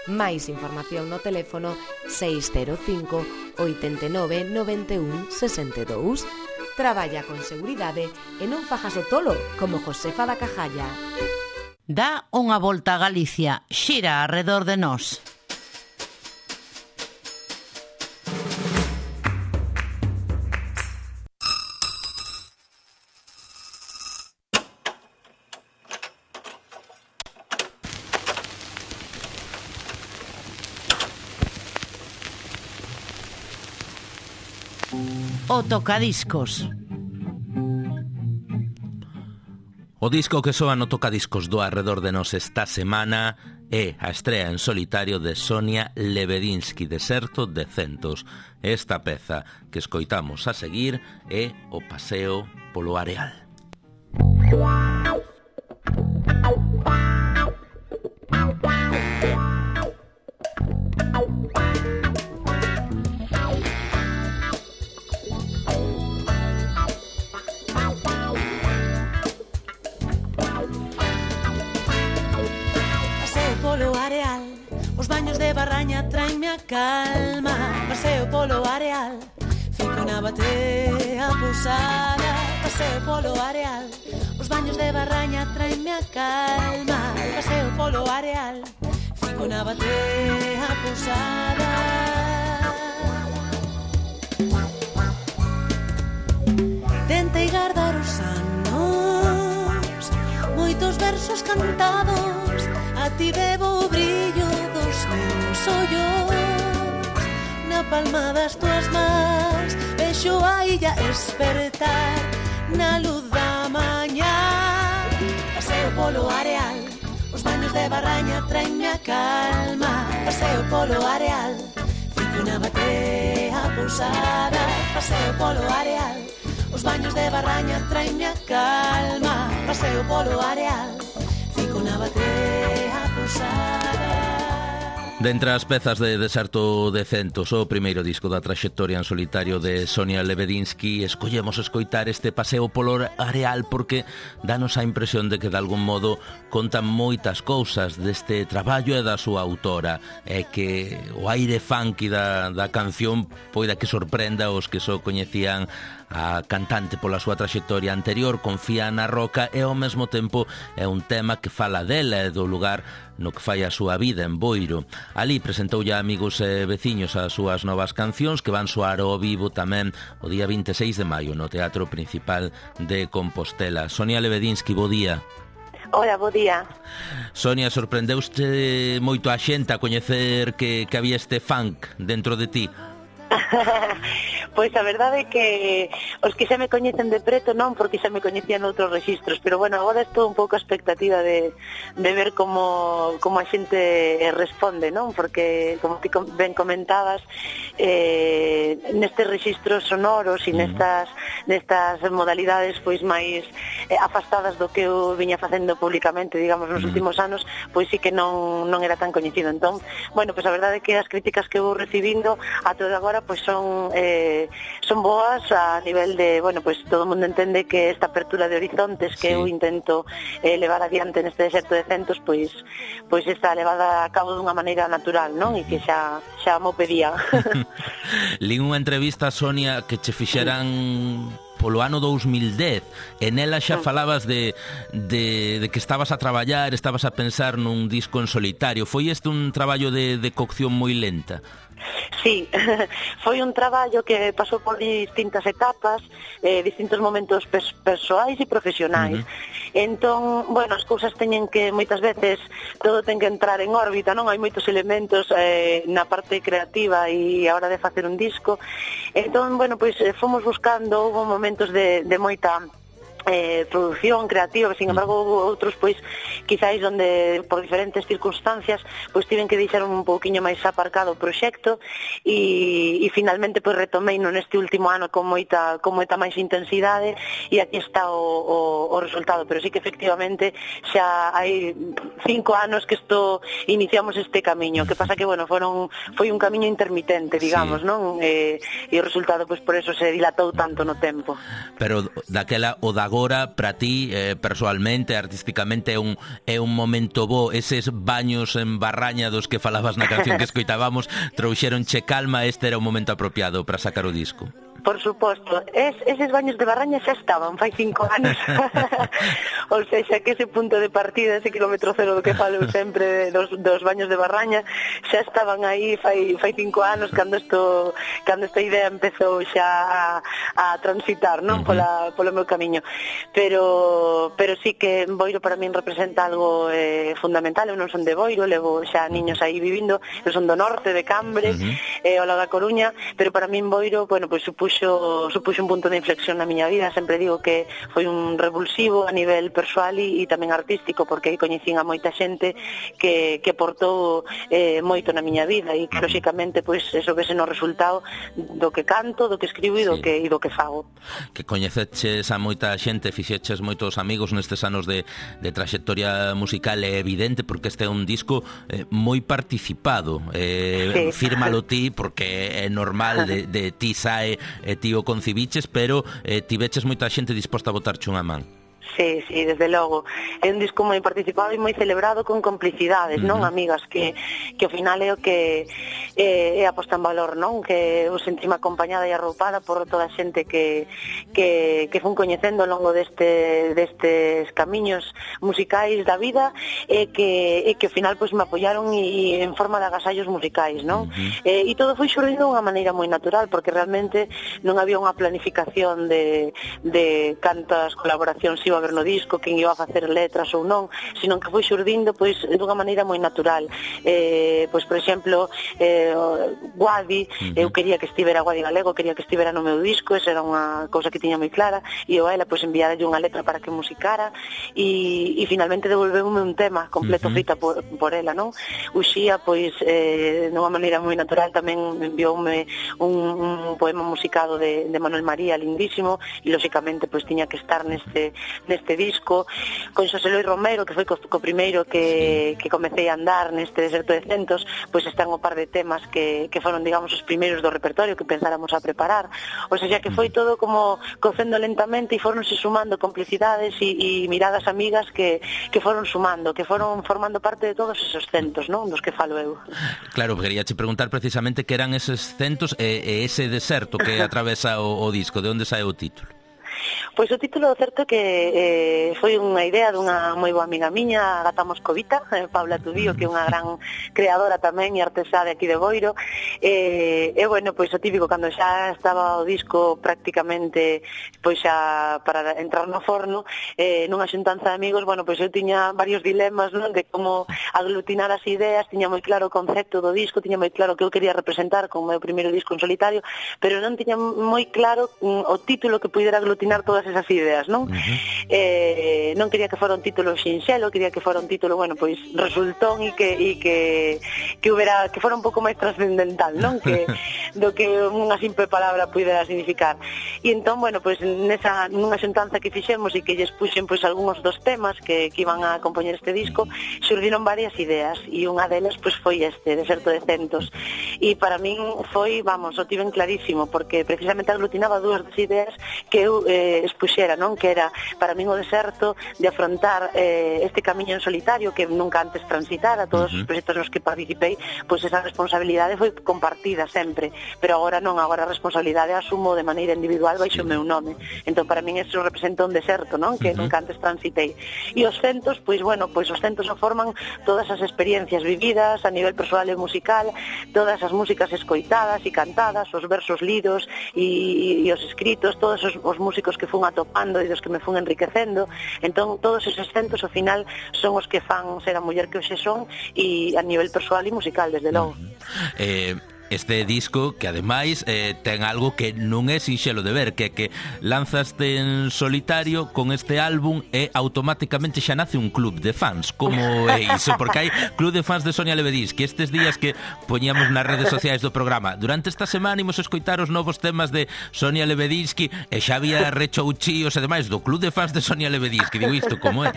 Máis información no teléfono seis cero cinco, oito nove, nove un, seis dous. Traballa con seguridade e non fajas o tolo como Josefa da Cajalla. Dá unha volta a Galicia, xira arredor de nós. O tocadiscos. O disco que soa no tocadiscos do Arredor de Nós esta semana é a estrea en solitario de Sonia Lebedinsky, Deserto de Centos. Esta peza que escoitamos a seguir é O Paseo polo Areal. Barraña traenme a calma, paseo polo areal, fico na batea pousada, paseo polo areal, os baños de Barraña traenme a calma, paseo polo areal, fico na batea pousada. Tentei guardar os anos, moitos versos cantados, a ti bebo o brillo dos meus ollos, na palma das tuas mans vexo a illa espertar na luz da mañá. Paseo polo areal, os baños de Barraña traenme a calma, paseo polo areal, fico na batea pousada, paseo polo areal, os baños de Barraña traenme a calma, paseo polo areal, fico na batea pousada. Dentre as pezas de Deserto de Centos, o primeiro disco da traxectoria en solitario de Sonia Lebedinsky, escollemos escoitar este Paseo polo Areal porque danos a impresión de que de algún modo contan moitas cousas deste traballo e da súa autora, e que o aire funky da, da canción poida que sorprenda os que só coñecían a cantante pola súa traxectoria anterior, confía na roca e ao mesmo tempo é un tema que fala dela e do lugar no que fai a súa vida en Boiro. Ali presentoulle a amigos e veciños as súas novas cancións que van soar ao vivo tamén o día vinte e seis de maio no Teatro Principal de Compostela. Sonia Lebedinsky, bo día. Hola, bo día. Sonia, sorprendeuste moito a xente a coñecer que, que había este funk dentro de ti? Pois a verdade é que os que xa me coñecen de preto non, porque xa me coñecían outros registros, pero bueno, agora estou un pouco a expectativa de, de ver como, como a xente responde, non? Porque, como ti ben comentabas, eh, nestes registros sonoros e nestas, nestas modalidades pois máis eh, afastadas do que eu viña facendo públicamente, digamos, nos últimos anos, pois sí que non, non era tan coñecido. Entón, bueno, pois a verdade é que as críticas que vou recibindo a todo agora pois son eh, son boas a nivel de, bueno, pois todo o mundo entende que esta apertura de horizontes que sí. eu intento eh, levar adiante neste Deserto de Centos, pois pois está levada a cabo dunha maneira natural, non? E que xa xa mo pedía. Lín unha entrevista, Sonia, que che fixeran polo ano dous mil dez, e nela xa falabas de, de, de que estabas a traballar, estabas a pensar nun disco en solitario. Foi este un traballo de, de cocción moi lenta? Sí, foi un traballo que pasou por distintas etapas, eh, distintos momentos pers persoais e profesionais. Uh-huh. Entón, bueno, as cousas teñen que, moitas veces, todo ten que entrar en órbita, non? Hai moitos elementos eh, na parte creativa e a hora de facer un disco. Entón, bueno, pois fomos buscando, houve momentos de, de moita eh, producción creativa, sin embargo outros pois quizáis onde por diferentes circunstancias pois tiven que deixar un pouquiño máis aparcado o proxecto e, e finalmente pois retomei no neste último ano con moita, con moita máis intensidade e aquí está o, o, o resultado, pero sí que efectivamente xa hai cinco anos que isto iniciamos este camiño, que pasa que bueno, foron foi un camiño intermitente, digamos, sí. non? Eh, e o resultado pois por eso se dilatou tanto no tempo. Pero daquela o da agora, para ti, eh, persoalmente, artísticamente, é un, é un momento bo, eses baños en Barraña dos que falabas na canción que escoitábamos, trouxeronche calma, este era o momento apropiado para sacar o disco. Por suposto, es, eses baños de Barraña xa estaban fai cinco anos. O sea, que ese punto de partida, ese kilómetro cero do que falo sempre dos, dos baños de Barraña, xa estaban aí fai, fai cinco anos cando esto, cando esta idea empezou xa a, a transitar, non? Pola, polo meu camiño. Pero, pero sí que Boiro para min representa algo eh, fundamental. Eu non son de Boiro, levo xa niños aí vivindo, eu son do norte, de Cambre, uh-huh. eh, o lado da Coruña, pero para min Boiro, bueno, pois pues, supuxo, supuxo un punto de inflexión na miña vida. Sempre digo que foi un revulsivo a nivel persoal e, e tamén artístico, porque aí coñecín a moita xente que, que aportou eh, moito na miña vida e que, lóxicamente, pois, eso vese no resultado do que canto, do que escribo e do, sí. que, e do que fago. Que coñeceches a moita xente, fixeches moitos amigos nestes anos de, de traxectoria musical, é evidente, porque este é un disco eh, moi participado. Eh, sí. Fírmalo ti, porque é normal, de, de ti sae e ti o concibiches, pero eh, tiveches moita xente disposta a botarche unha man. Sí, sí, desde logo. É un disco moi participado e moi celebrado con complicidades, uh-huh. non? Amigas, que, que ao final é o que é, é a posta en valor, non? Que eu sentime acompañada e arroupada por toda a xente que, que, que fun coñecendo ao longo deste, destes camiños musicais da vida e que, e que ao final pois, me apoyaron e, e en forma de agasallos musicais, non? Uh-huh. E, e todo foi xurdindo de unha maneira moi natural, porque realmente non había unha planificación de, de cantas colaboracións iba a haber no disco, quen iba a facer letras ou non, sino que foi xurdindo pois dunha maneira moi natural. Eh, pois por exemplo, eh, Guadi, uh-huh. eu quería que estivera Guadi Galego, quería que estivera no meu disco, esa era unha cousa que tiña moi clara, e eu a ela pois enviaralle unha letra para que musicara e, e finalmente devolveume un tema completo uh-huh. feita por, por ela, non? Uxía, pois, eh, dunha maneira moi natural tamén envioume un, un poema musicado de, de Manuel María, lindísimo, e lóxicamente pois tiña que estar neste neste disco. Con Xosé Luis Romero, que foi co, co primeiro que, que comecei a andar neste Deserto de Centos, pois están o par de temas que, que foron, digamos, os primeiros do repertorio que pensáramos a preparar. O sea, que foi todo como cocendo lentamente e foronse sumando complicidades e, e miradas amigas que, que foron sumando, que foron formando parte de todos esos centos, non? Dos que falo eu. Claro, quería che preguntar precisamente que eran eses centos e, e ese deserto que atravesa o, o disco, de onde sae o título? Pois o título do certo que eh, foi unha idea dunha moi boa amiga miña, Agata Moscovita, eh, Paula Tudío, que é unha gran creadora tamén e artesá de aquí de Boiro. E, eh, bueno, pois o típico, cando xa estaba o disco prácticamente pois xa para entrar no forno, eh, nunha xuntanza de amigos, bueno, pois eu tiña varios dilemas, non, de como aglutinar as ideas, tiña moi claro o concepto do disco, tiña moi claro que eu quería representar como o meu primeiro disco en solitario, pero non tiña moi claro mm, o título que puidera aglutinar todas esas ideas, non? Uh-huh. Eh, non quería que fora un título sinxelo, quería que fora un título, bueno, pois resultón e que e que que hubiera que fora un pouco máis trascendental, non? Que do que unha simple palabra puidera significar. E entón, bueno, pois nesa nunha xuntanza que fixemos e que lles puxen pois algúns dos temas que que iban a compoñer este disco, xurdiron varias ideas e unha delas pois foi este, Deserto de Centos. E para min foi, vamos, o tiven clarísimo, porque precisamente aglutinaba dúas das ideas que eu eh, expuxera, non? Que era, para min, o deserto de afrontar eh, este camiño en solitario que nunca antes transitara, todos uh-huh. os proxectos nos que participei, pois esa responsabilidade foi compartida sempre, pero agora non, agora a responsabilidade asumo de maneira individual baixo o meu nome. Entón, para min, eso representa un deserto, non? Que uh-huh. nunca antes transitei. E os centos, pois, bueno, pois os centos o forman todas as experiencias vividas a nivel persoal e musical, todas as músicas escoitadas e cantadas, os versos lidos e, e, e os escritos, todos os, os músicos que fun atopando e dos que me fun enriquecendo. Entón, todos esos centos, ao final, son os que fan ser a muller que hoxe son, e a nivel persoal e musical, desde logo. Uh-huh. Eh... Este disco, que ademais eh, ten algo que non é sinxelo de ver, que que lanzaste en solitario con este álbum e automáticamente xa nace un club de fans. Como é iso? Porque hai club de fans de Sonia Lebedisky. Estes días que poñamos nas redes sociais do programa, durante esta semana imos escoitar os novos temas de Sonia Lebedisky e xa había rechouchíos e demais do club de fans de Sonia Lebedisky. Digo, isto como é?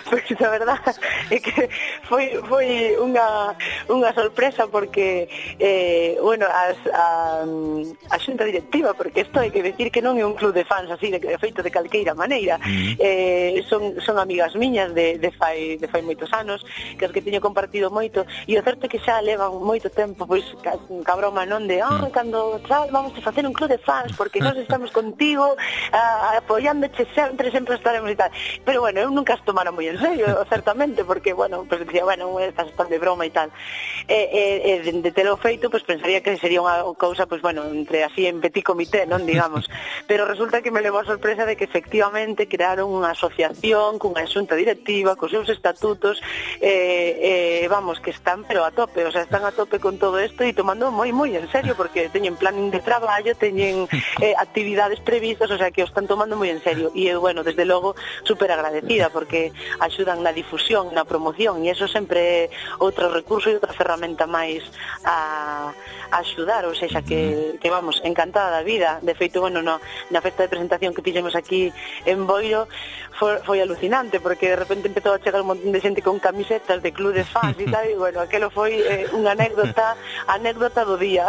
Pois a verdad é que foi, foi unha, unha sorpresa, porque eh, eh, bueno, as, a, a xunta directiva, porque isto hai que decir que non é un club de fans así de, de feito de calqueira maneira. Mm. Eh, son, son amigas miñas de, de, fai, de fai moitos anos, que as que teño compartido moito, e o certo é que xa levan moito tempo, pois, cabroma, non de, ah, cando tal, vamos a facer un club de fans, porque nós estamos contigo, a, apoiándoche sempre, sempre estaremos e tal. Pero, bueno, eu nunca as tomara moi en serio, certamente, porque, bueno, pues decía, bueno, estás tan de broma e tal. E, e, e de telo feito, pues pensaría que sería unha cousa, pues, bueno, entre así en petit comité, non, digamos. Pero resulta que me levou a sorpresa de que efectivamente crearon unha asociación cunha xunta directiva, cos seus estatutos, eh, eh, vamos, que están pero a tope, o sea, están a tope con todo isto e tomando moi, moi en serio, porque teñen planning de traballo, teñen eh, actividades previstas, o sea, que o están tomando moi en serio. E, bueno, desde logo, super agradecida, porque axudan na difusión, na promoción, e eso sempre é outro recurso e outra ferramenta máis a, a axudar, ou seja, que, que vamos, encantada da vida. De feito, bueno, no, na festa de presentación que fixemos aquí en Boiro foi, foi alucinante, porque de repente empezou a chegar un montón de xente con camisetas de club de fans e tal, e bueno, aquelo foi eh, unha anécdota anécdota do día.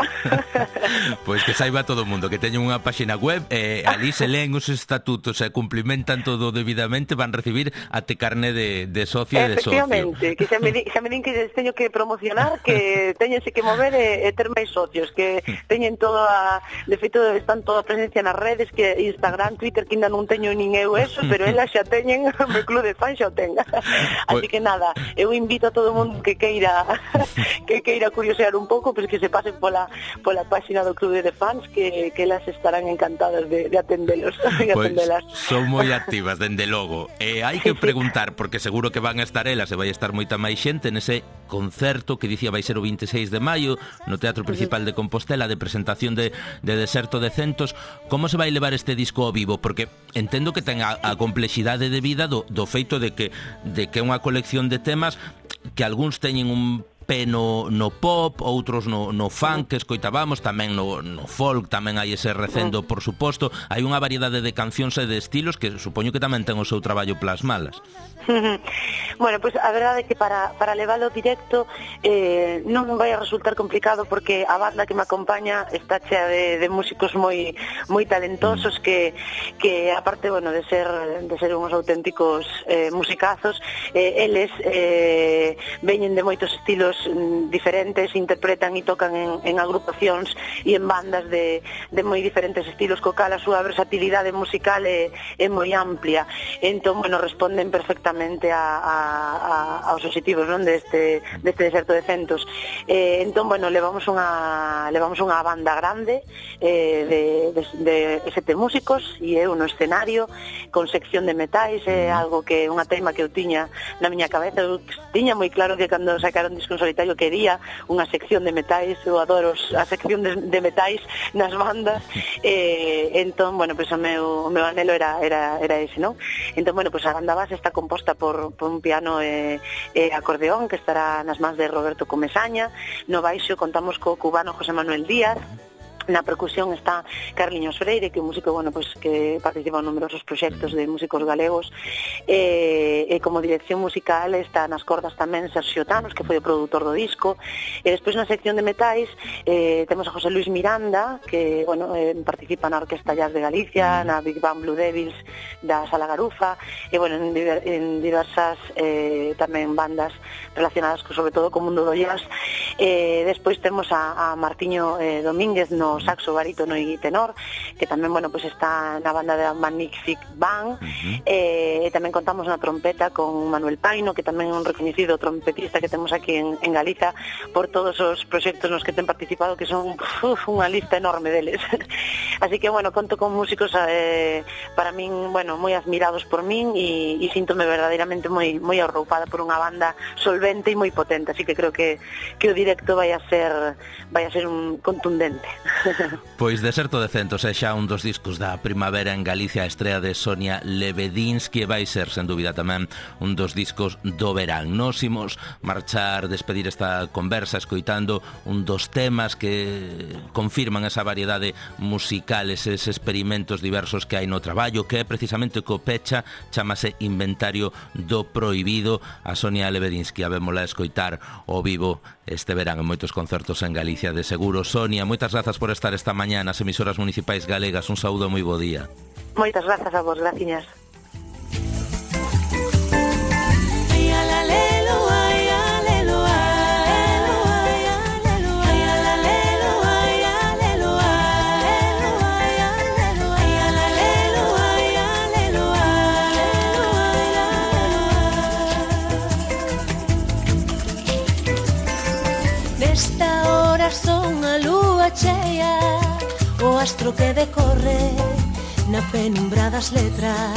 Pois que saiba todo o mundo que teñen unha páxina web, eh, ali se leen os estatutos e cumplimentan todo debidamente, van recibir até carné de, de socio e de socio. Efectivamente, que xa me, di, xa me din que teño que promocionar, que teñense que mover e, e ter máis socios, que teñen todo a, de feito están toda a presencia nas redes, que Instagram, Twitter, que ainda non teño nin eu eso, pero elas xa teñen, o meu club de fans xa o ten. Así que nada, eu invito a todo o mundo que queira que queira curiosear un pouco, pois que se pasen pola pola páxina do club de fans, que, que elas estarán encantadas de, de atendelos, de pues atendelas. Son moi activas, dende logo. E hai que preguntar, porque seguro que van a estar elas e vai estar moita máis xente nese concerto que dicía vai ser o vinte e seis de maio no Teatro Principal de Compostela, de presentación de, de Deserto de Centos. Como se vai levar este disco ao vivo? Porque entendo que ten a, a complexidade de vida do, do feito de que de que é unha colección de temas que algúns teñen un pé no, no pop, outros no, no funk que escoitábamos, tamén no, no folk, tamén hai ese recendo, por suposto. Hai unha variedade de cancións e de estilos que supoño que tamén ten o seu traballo plasmalas. Bueno, pois pues, a verdade é que para, para leválo directo eh, non vai a resultar complicado, porque a banda que me acompaña está chea de, de músicos moi moi talentosos que, que aparte, bueno, de ser de ser uns auténticos eh, musicazos, eh, eles eh, veñen de moitos estilos diferentes, interpretan e tocan en, en agrupacións e en bandas de, de moi diferentes estilos, co cal a súa versatilidade musical é, é moi amplia. Entón, bueno, responden perfectamente a, a, a, aos obxectivos, non, deste, deste Deserto de Centos. Eh, entón, bueno, levamos unha levamos unha banda grande eh, de, de, de sete músicos e eu no escenario con sección de metais, é algo que unha tema que eu tiña na miña cabeza. Eu tiña moi claro que cando sacaron disco en solitario quería unha sección de metais, eu adoro a sección de, de metais nas bandas, eh, entón, bueno, pues o meu, o meu anhelo era, era, era ese, non? Entón, bueno, pues a banda base está composta por, por un piano e, e acordeón que estará nas mans de Roberto Comesaña. No baixo contamos co cubano José Manuel Díaz. Na percusión está Carliños Freire, que é un músico, bueno, pues, que participa en numerosos proxectos de músicos galegos, e, e como dirección musical está nas cordas tamén Sergio Tanos, que foi o produtor do disco. E despois na sección de metais eh, temos a José Luis Miranda, que, bueno, eh, participa na Orquesta Jazz de Galicia, na Big Band Blue Devils da Sala Garufa, e, bueno, en, en diversas eh, tamén bandas relacionadas co, sobre todo co mundo do jazz. Eh, despois temos a, a Martiño eh, Domínguez no saxo, barítono e tenor, que tamén, bueno, pues está na banda da Magnific Band. Uh-huh. eh, e tamén contamos na trompeta con Manuel Paino, que tamén é un recoñecido trompetista que temos aquí en, en Galiza por todos os proxectos nos que ten participado, que son uf, unha lista enorme deles. Así que, bueno, conto con músicos eh, para min, bueno, moi admirados por min, e, e síntome verdadeiramente moi moi arroupada por unha banda solvente e moi potente, así que creo que, que o directo vai a ser vai a ser un contundente. Pois Deserto de Centos é xa un dos discos da primavera en Galicia, a estrea de Sonia Lebedinsky, e vai ser, sen dúbida, tamén un dos discos do verán. Nos imos marchar, despedir esta conversa escoitando un dos temas que confirman esa variedade musical, eses experimentos diversos que hai no traballo, que é precisamente co pecha, chamase Inventario do Prohibido. A Sonia Lebedinsky, a vémola escoitar ao vivo este verán en moitos concertos en Galicia de seguro. Sonia, moitas grazas por estar esta mañá nas emisoras municipais galegas. Un saúdo e moi bo día. Moitas grazas a vos, graciñas. Son a lúa chea, o astro que decorre na penumbra das letras.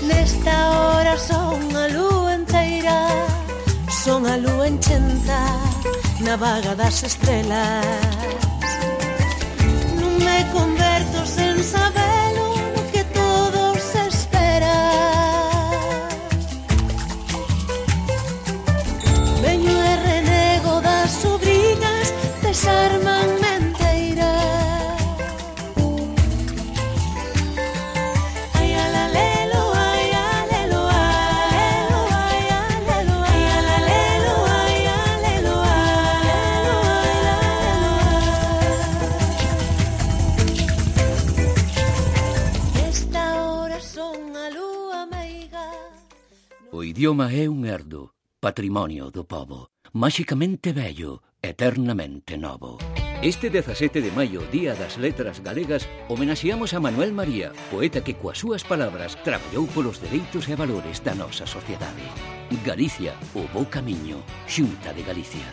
Nesta hora son a lúa enteira, son a lúa enchenta na vaga das estrelas. Non me converto sen sabelo no que todos esperan. Veño e renego das sobrinas, desarman menteira. Ai alalelo, ai alelo, alelo, ai alelo, ai alalelo, ai alelo, alelo, alelo. Esta hora son a lúa meiga. O idioma é un herdo, patrimonio do pobo, máxicamente vello, eternamente novo. Este dezasete de maio, Día das Letras Galegas, homenaxeamos a Manuel María, poeta que coas súas palabras traballou polos dereitos e valores da nosa sociedade. Galicia, o bo camiño, Xunta de Galicia.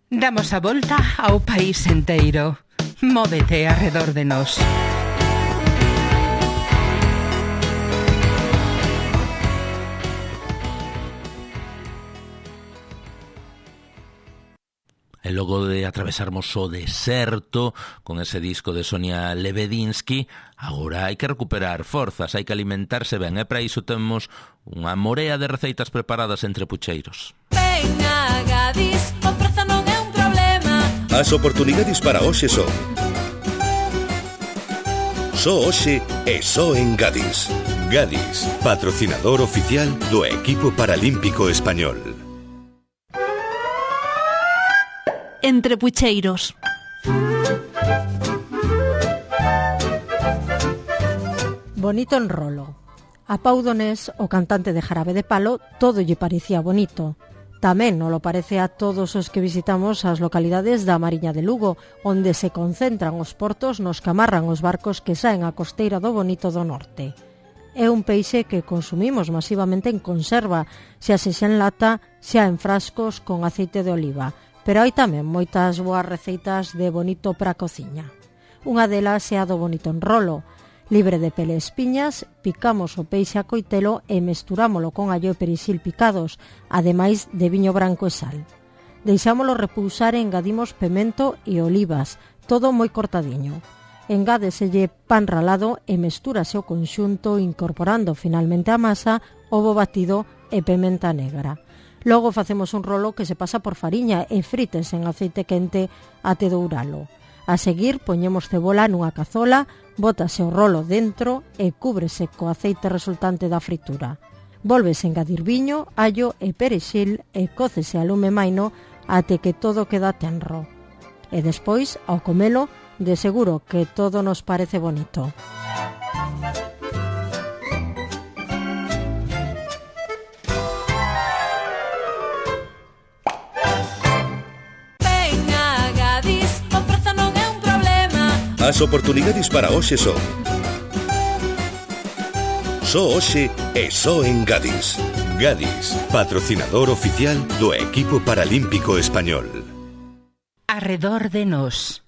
Damos a volta ao país enteiro. Móvete arredor de nós. E logo de atravesarmos o deserto con ese disco de Sonia Lebedinsky, agora hai que recuperar forzas, hai que alimentarse ben, e para iso temos unha morea de receitas preparadas entre pucheiros. Venga, Gadis, o prezo non é un problema. As oportunidades para hoxe son só hoxe e só en Gadis. Gadis, patrocinador oficial do equipo paralímpico español. Entre pucheiros. Bonito enrolo. A Pau Donés, o cantante de Jarabe de Palo, todo lle parecía bonito. Tamén non lo parece a todos os que visitamos as localidades da Mariña de Lugo, onde se concentran os portos nos que amarran os barcos que saen á costeira do Bonito do Norte. É un peixe que consumimos masivamente en conserva, xa sexa en lata, xa en frascos con aceite de oliva. Pero hai tamén moitas boas receitas de bonito para a cociña. Unha delas é a do bonito enrolo. Libre de pele e espiñas, picamos o peixe a coitelo e mesturámolo con allo e perexil picados, ademais de viño branco e sal. Deixámolo repousar e engadimos pemento e olivas, todo moi cortadiño. Engádeselle pan ralado e mestúrase o conxunto incorporando finalmente a masa, ovo batido e pementa negra. Logo facemos un rolo que se pasa por fariña e frites en aceite quente até douralo. A seguir, poñemos cebola nunha cazola, bótase o rolo dentro e cúbrese co aceite resultante da fritura. Volves engadir viño, allo e perexil e cócese a lume maino até que todo queda tenro. E despois, ao comelo, de seguro que todo nos parece bonito. As oportunidades para hoxe son só hoxe e só en Gadis. Gadis, patrocinador oficial do equipo paralímpico español. Arredor de nós.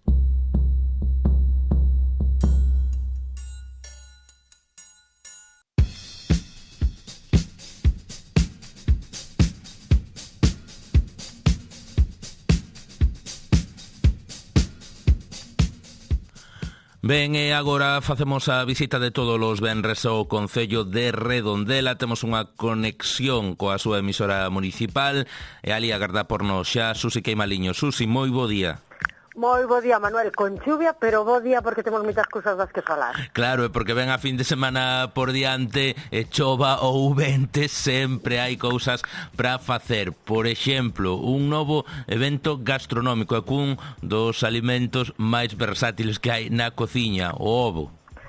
Ben, e agora facemos a visita de todos os venres ao Concello de Redondela. Temos unha conexión coa súa emisora municipal e ali agarda por nos xa Susi Queimaliño. Susi, moi bo día. Moi bo día, Manuel, con chuvia, pero bo día porque temos moitas cousas das que falar. Claro, é porque ven a fin de semana por diante, e chova ou vente, sempre hai cousas para facer. Por exemplo, un novo evento gastronómico, e cun dos alimentos máis versátiles que hai na cociña, o ovo.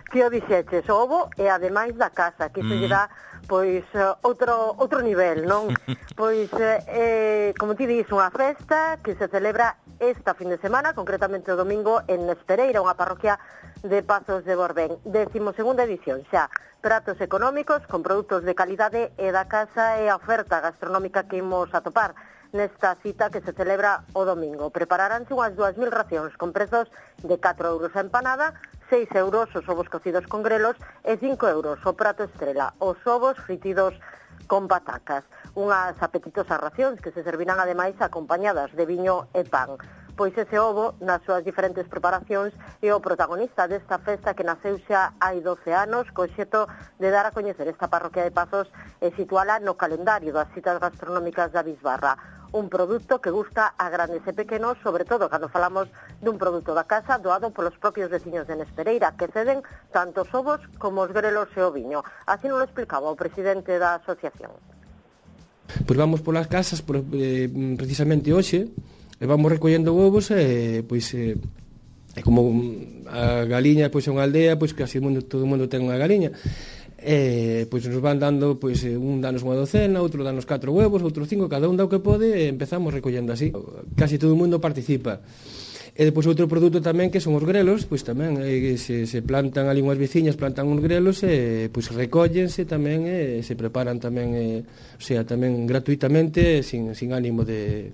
Que o dixeches, o ovo e ademais da casa, que se lle dá pois outro outro nivel, non? Pois eh, como ti dis, unha festa que se celebra esta fin de semana, concretamente o domingo en Espereira, unha parroquia de Pazos de Borbén. Décimo segunda edición, xa, pratos económicos con produtos de calidade e da casa e a oferta gastronómica que imos atopar nesta cita que se celebra o domingo. Prepararánse unhas dúas mil racións con prezos de catro euros a empanada, seis euros os ovos cocidos con grelos e cinco euros o prato estrela, os ovos fritidos con patacas. Unhas apetitosas racións que se servirán ademais acompañadas de viño e pan. Pois ese ovo, nas súas diferentes preparacións, é o protagonista desta festa que naceu xa hai doce anos, co xeto de dar a coñecer esta parroquia de Pazos e situala no calendario das citas gastronómicas da Bisbarra. Un produto que gusta a grandes e pequenos, sobre todo cando falamos dun produto da casa doado polos propios veciños de Nespereira, que ceden tanto os ovos como os grelos e o viño. Así nos lo explicaba o presidente da asociación. Pois vamos polas casas, por, eh, precisamente hoxe, e vamos recollendo ovos, e pois eh, é como a galiña pois é unha aldea, pois casi mundo, todo o mundo ten unha galiña. E pois nos van dando, pois un danos unha docena, outro danos catro huevos, outro cinco, cada un dá o que pode, e empezamos recollendo así. Casi todo o mundo participa. E depois outro produto tamén que son os grelos, pois tamén eh, se, se plantan ali unhas veciñas, plantan uns grelos e pois recóllense tamén e se preparan tamén, eh, o sea, tamén gratuitamente, sin, sin ánimo de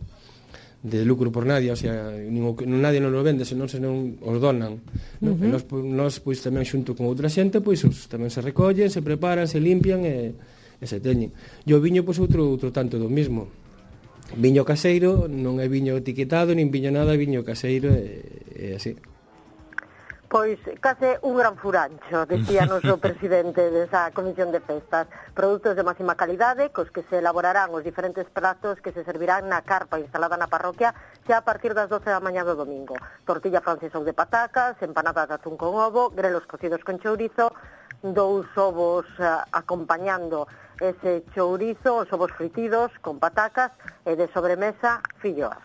de lucro por nadie, o sea, nin o, nadie non lo vende, senón se non os donan, non? Uh-huh. E nos, nos pois tamén xunto con outra xente, pois os, tamén se recollen, se preparan, se limpian e, e se teñen. E o viño pois outro outro tanto do mismo. Viño caseiro, non é viño etiquetado, nin viño nada, viño caseiro e, e así. Pois case un gran furancho, decía noso presidente desa comisión de festas. Produtos de máxima calidade, cos que se elaborarán os diferentes pratos que se servirán na carpa instalada na parroquia xa a partir das doce da mañá do domingo. Tortilla francesa ou de patacas, empanadas de atún con ovo, grelos cocidos con chourizo, dous ovos uh, acompañando ese chourizo, os ovos fritidos con patacas e de sobremesa filloas.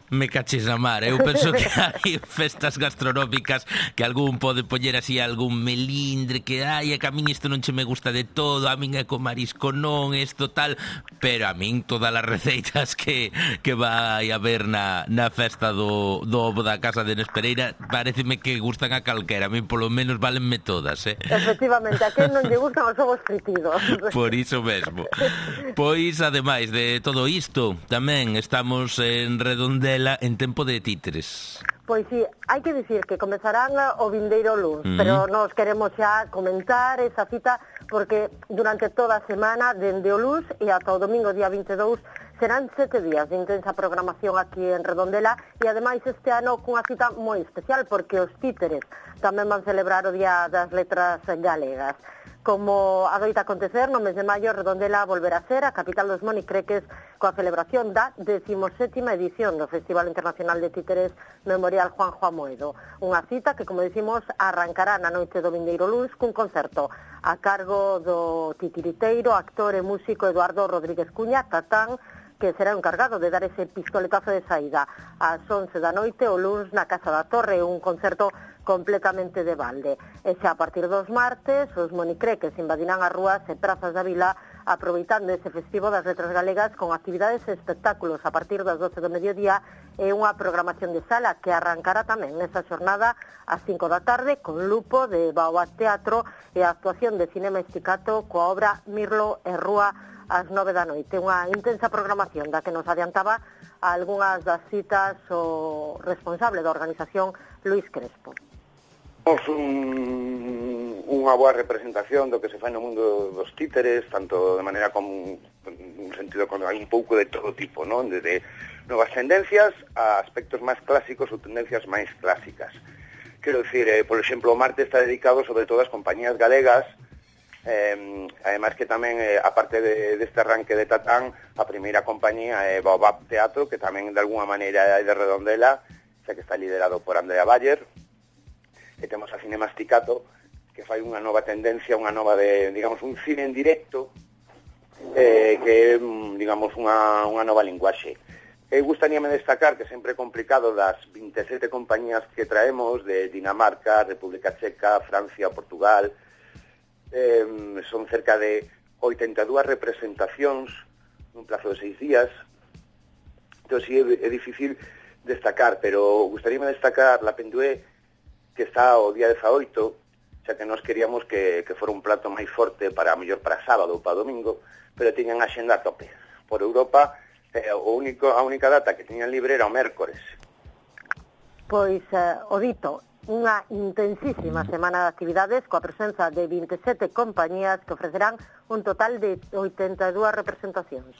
Me caches na mar, eu penso que hai festas gastronómicas que algún pode poñer así algún melindre que ai, que a min isto non che me gusta de todo, a min é co marisco non, isto tal, pero a min todas as receitas que, que vai haber na, na festa do, do ovo da casa de Nespereira pareceme que gustan a calquera, a min polo menos valenme todas, eh? Efectivamente, a quen non lle gustan os ovos fritidos. Por iso mesmo. Pois, ademais de todo isto, tamén estamos en Redondela en tempo de títeres. Pois sí, hai que dicir que comezarán o vindeiro luns, uh-huh. pero nos queremos xa comentar esa cita porque durante toda a semana, dende o luns e ata o domingo día vinte e dous, serán sete días de intensa programación aquí en Redondela e ademais este ano cunha cita moi especial porque os títeres tamén van celebrar o Día das Letras Galegas. Como adoita acontecer, no mes de maio, Redondela volverá a ser a capital dos monicreques coa celebración da decimosétima edición do Festival Internacional de Títeres Memorial Juanjo Amoedo. Unha cita que, como decimos, arrancará na noite do vindeiro luns cun concerto a cargo do titiriteiro, actor e músico Eduardo Rodríguez Cuña, Tatán, que será encargado de dar ese pistoletazo de saída ás once da noite o luns na Casa da Torre, un concerto completamente de balde. E xa a partir dos martes, os monicreques invadirán as rúas e prazas da vila aproveitando ese festivo das letras galegas con actividades e espectáculos a partir das doce do mediodía e unha programación de sala que arrancará tamén nesa xornada ás cinco da tarde con Lupo de Baobab Teatro e a actuación de Cinema Esticato coa obra Mirlo e Rúa ás nove da noite. Unha intensa programación da que nos adiantaba a algunhas das citas o responsable da organización, Luis Crespo. Un, unha boa representación do que se fai no mundo dos títeres, tanto de maneira como un sentido como hai un pouco de todo tipo, non? Desde novas tendencias a aspectos máis clásicos ou tendencias máis clásicas. Quero dicir, eh, por exemplo, o martes está dedicado sobre todo ás compañías galegas, eh, ademais que tamén, eh, aparte de, deste arranque de Tatán, a primeira compañía é Baobab Teatro, que tamén de alguna maneira é de Redondela, xa que está liderado por Andrea Bayer, e temos a Cinemasticato, que fai unha nova tendencia, unha nova de, digamos, un cine en directo, eh, que é, digamos, unha, unha nova linguaxe. E gustaríame destacar que sempre é complicado das vinte e sete compañías que traemos de Dinamarca, República Checa, Francia, Portugal, eh, son cerca de oitenta e dúas representacións nun plazo de seis días. Entón, sí, é, é difícil destacar, pero gustaríame destacar La Pendué, que está o día dezaoito, xa que nós queríamos que, que fora un plato máis forte para, mellor para sábado ou para domingo, pero tiñan a xenda a tope. Por Europa, eh, o único, a única data que tiñan libre era o mércores. Pois, eh, o dito, unha intensísima semana de actividades coa presenza de vinte e sete compañías que ofrecerán un total de oitenta e dúas representacións.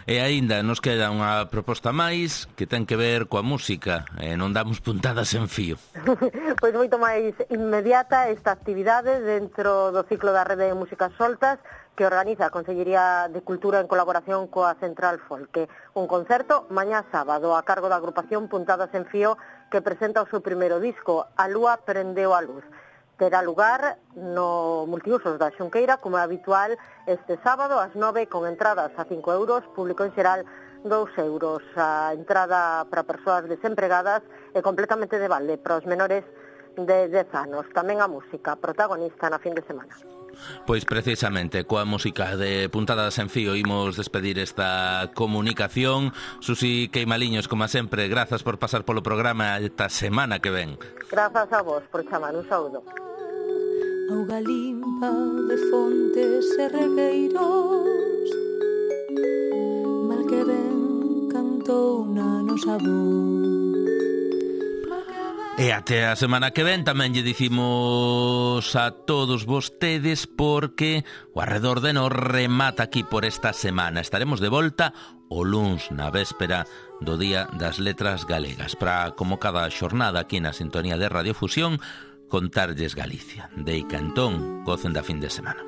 E aínda nos queda unha proposta máis que ten que ver coa música, e non damos puntadas en fío. Pois moito máis inmediata esta actividade dentro do ciclo da Rede de Músicas Soltas que organiza a Consellería de Cultura en colaboración coa Central Folk. Un concerto mañá sábado a cargo da agrupación Puntadas en Fío que presenta o seu primeiro disco, A Lúa Prendeu a Luz. Terá lugar no Multiusos da Xunqueira, como é habitual, este sábado ás nove, con entradas a cinco euros, público en xeral dous euros. A entrada para persoas desempregadas é completamente de balde para os menores de dez anos. Tamén a música, protagonista na fin de semana. Pois precisamente coa música de Puntadas en Fío imos despedir esta comunicación. Susi Queimaliños, como sempre, grazas por pasar polo programa esta semana que ven. Grazas a vos por chamar, un saúdo. Auga limpa de fontes e regueiros, mal que ben cantou na nosa voz. E até a semana que ven tamén lle dicimos a todos vostedes porque o Arredor de Nos remata aquí por esta semana. Estaremos de volta o luns na véspera do Día das Letras Galegas para, como cada xornada aquí na sintonía de Radiofusión, contarlles Galicia. Deica entón, gocen da fin de semana.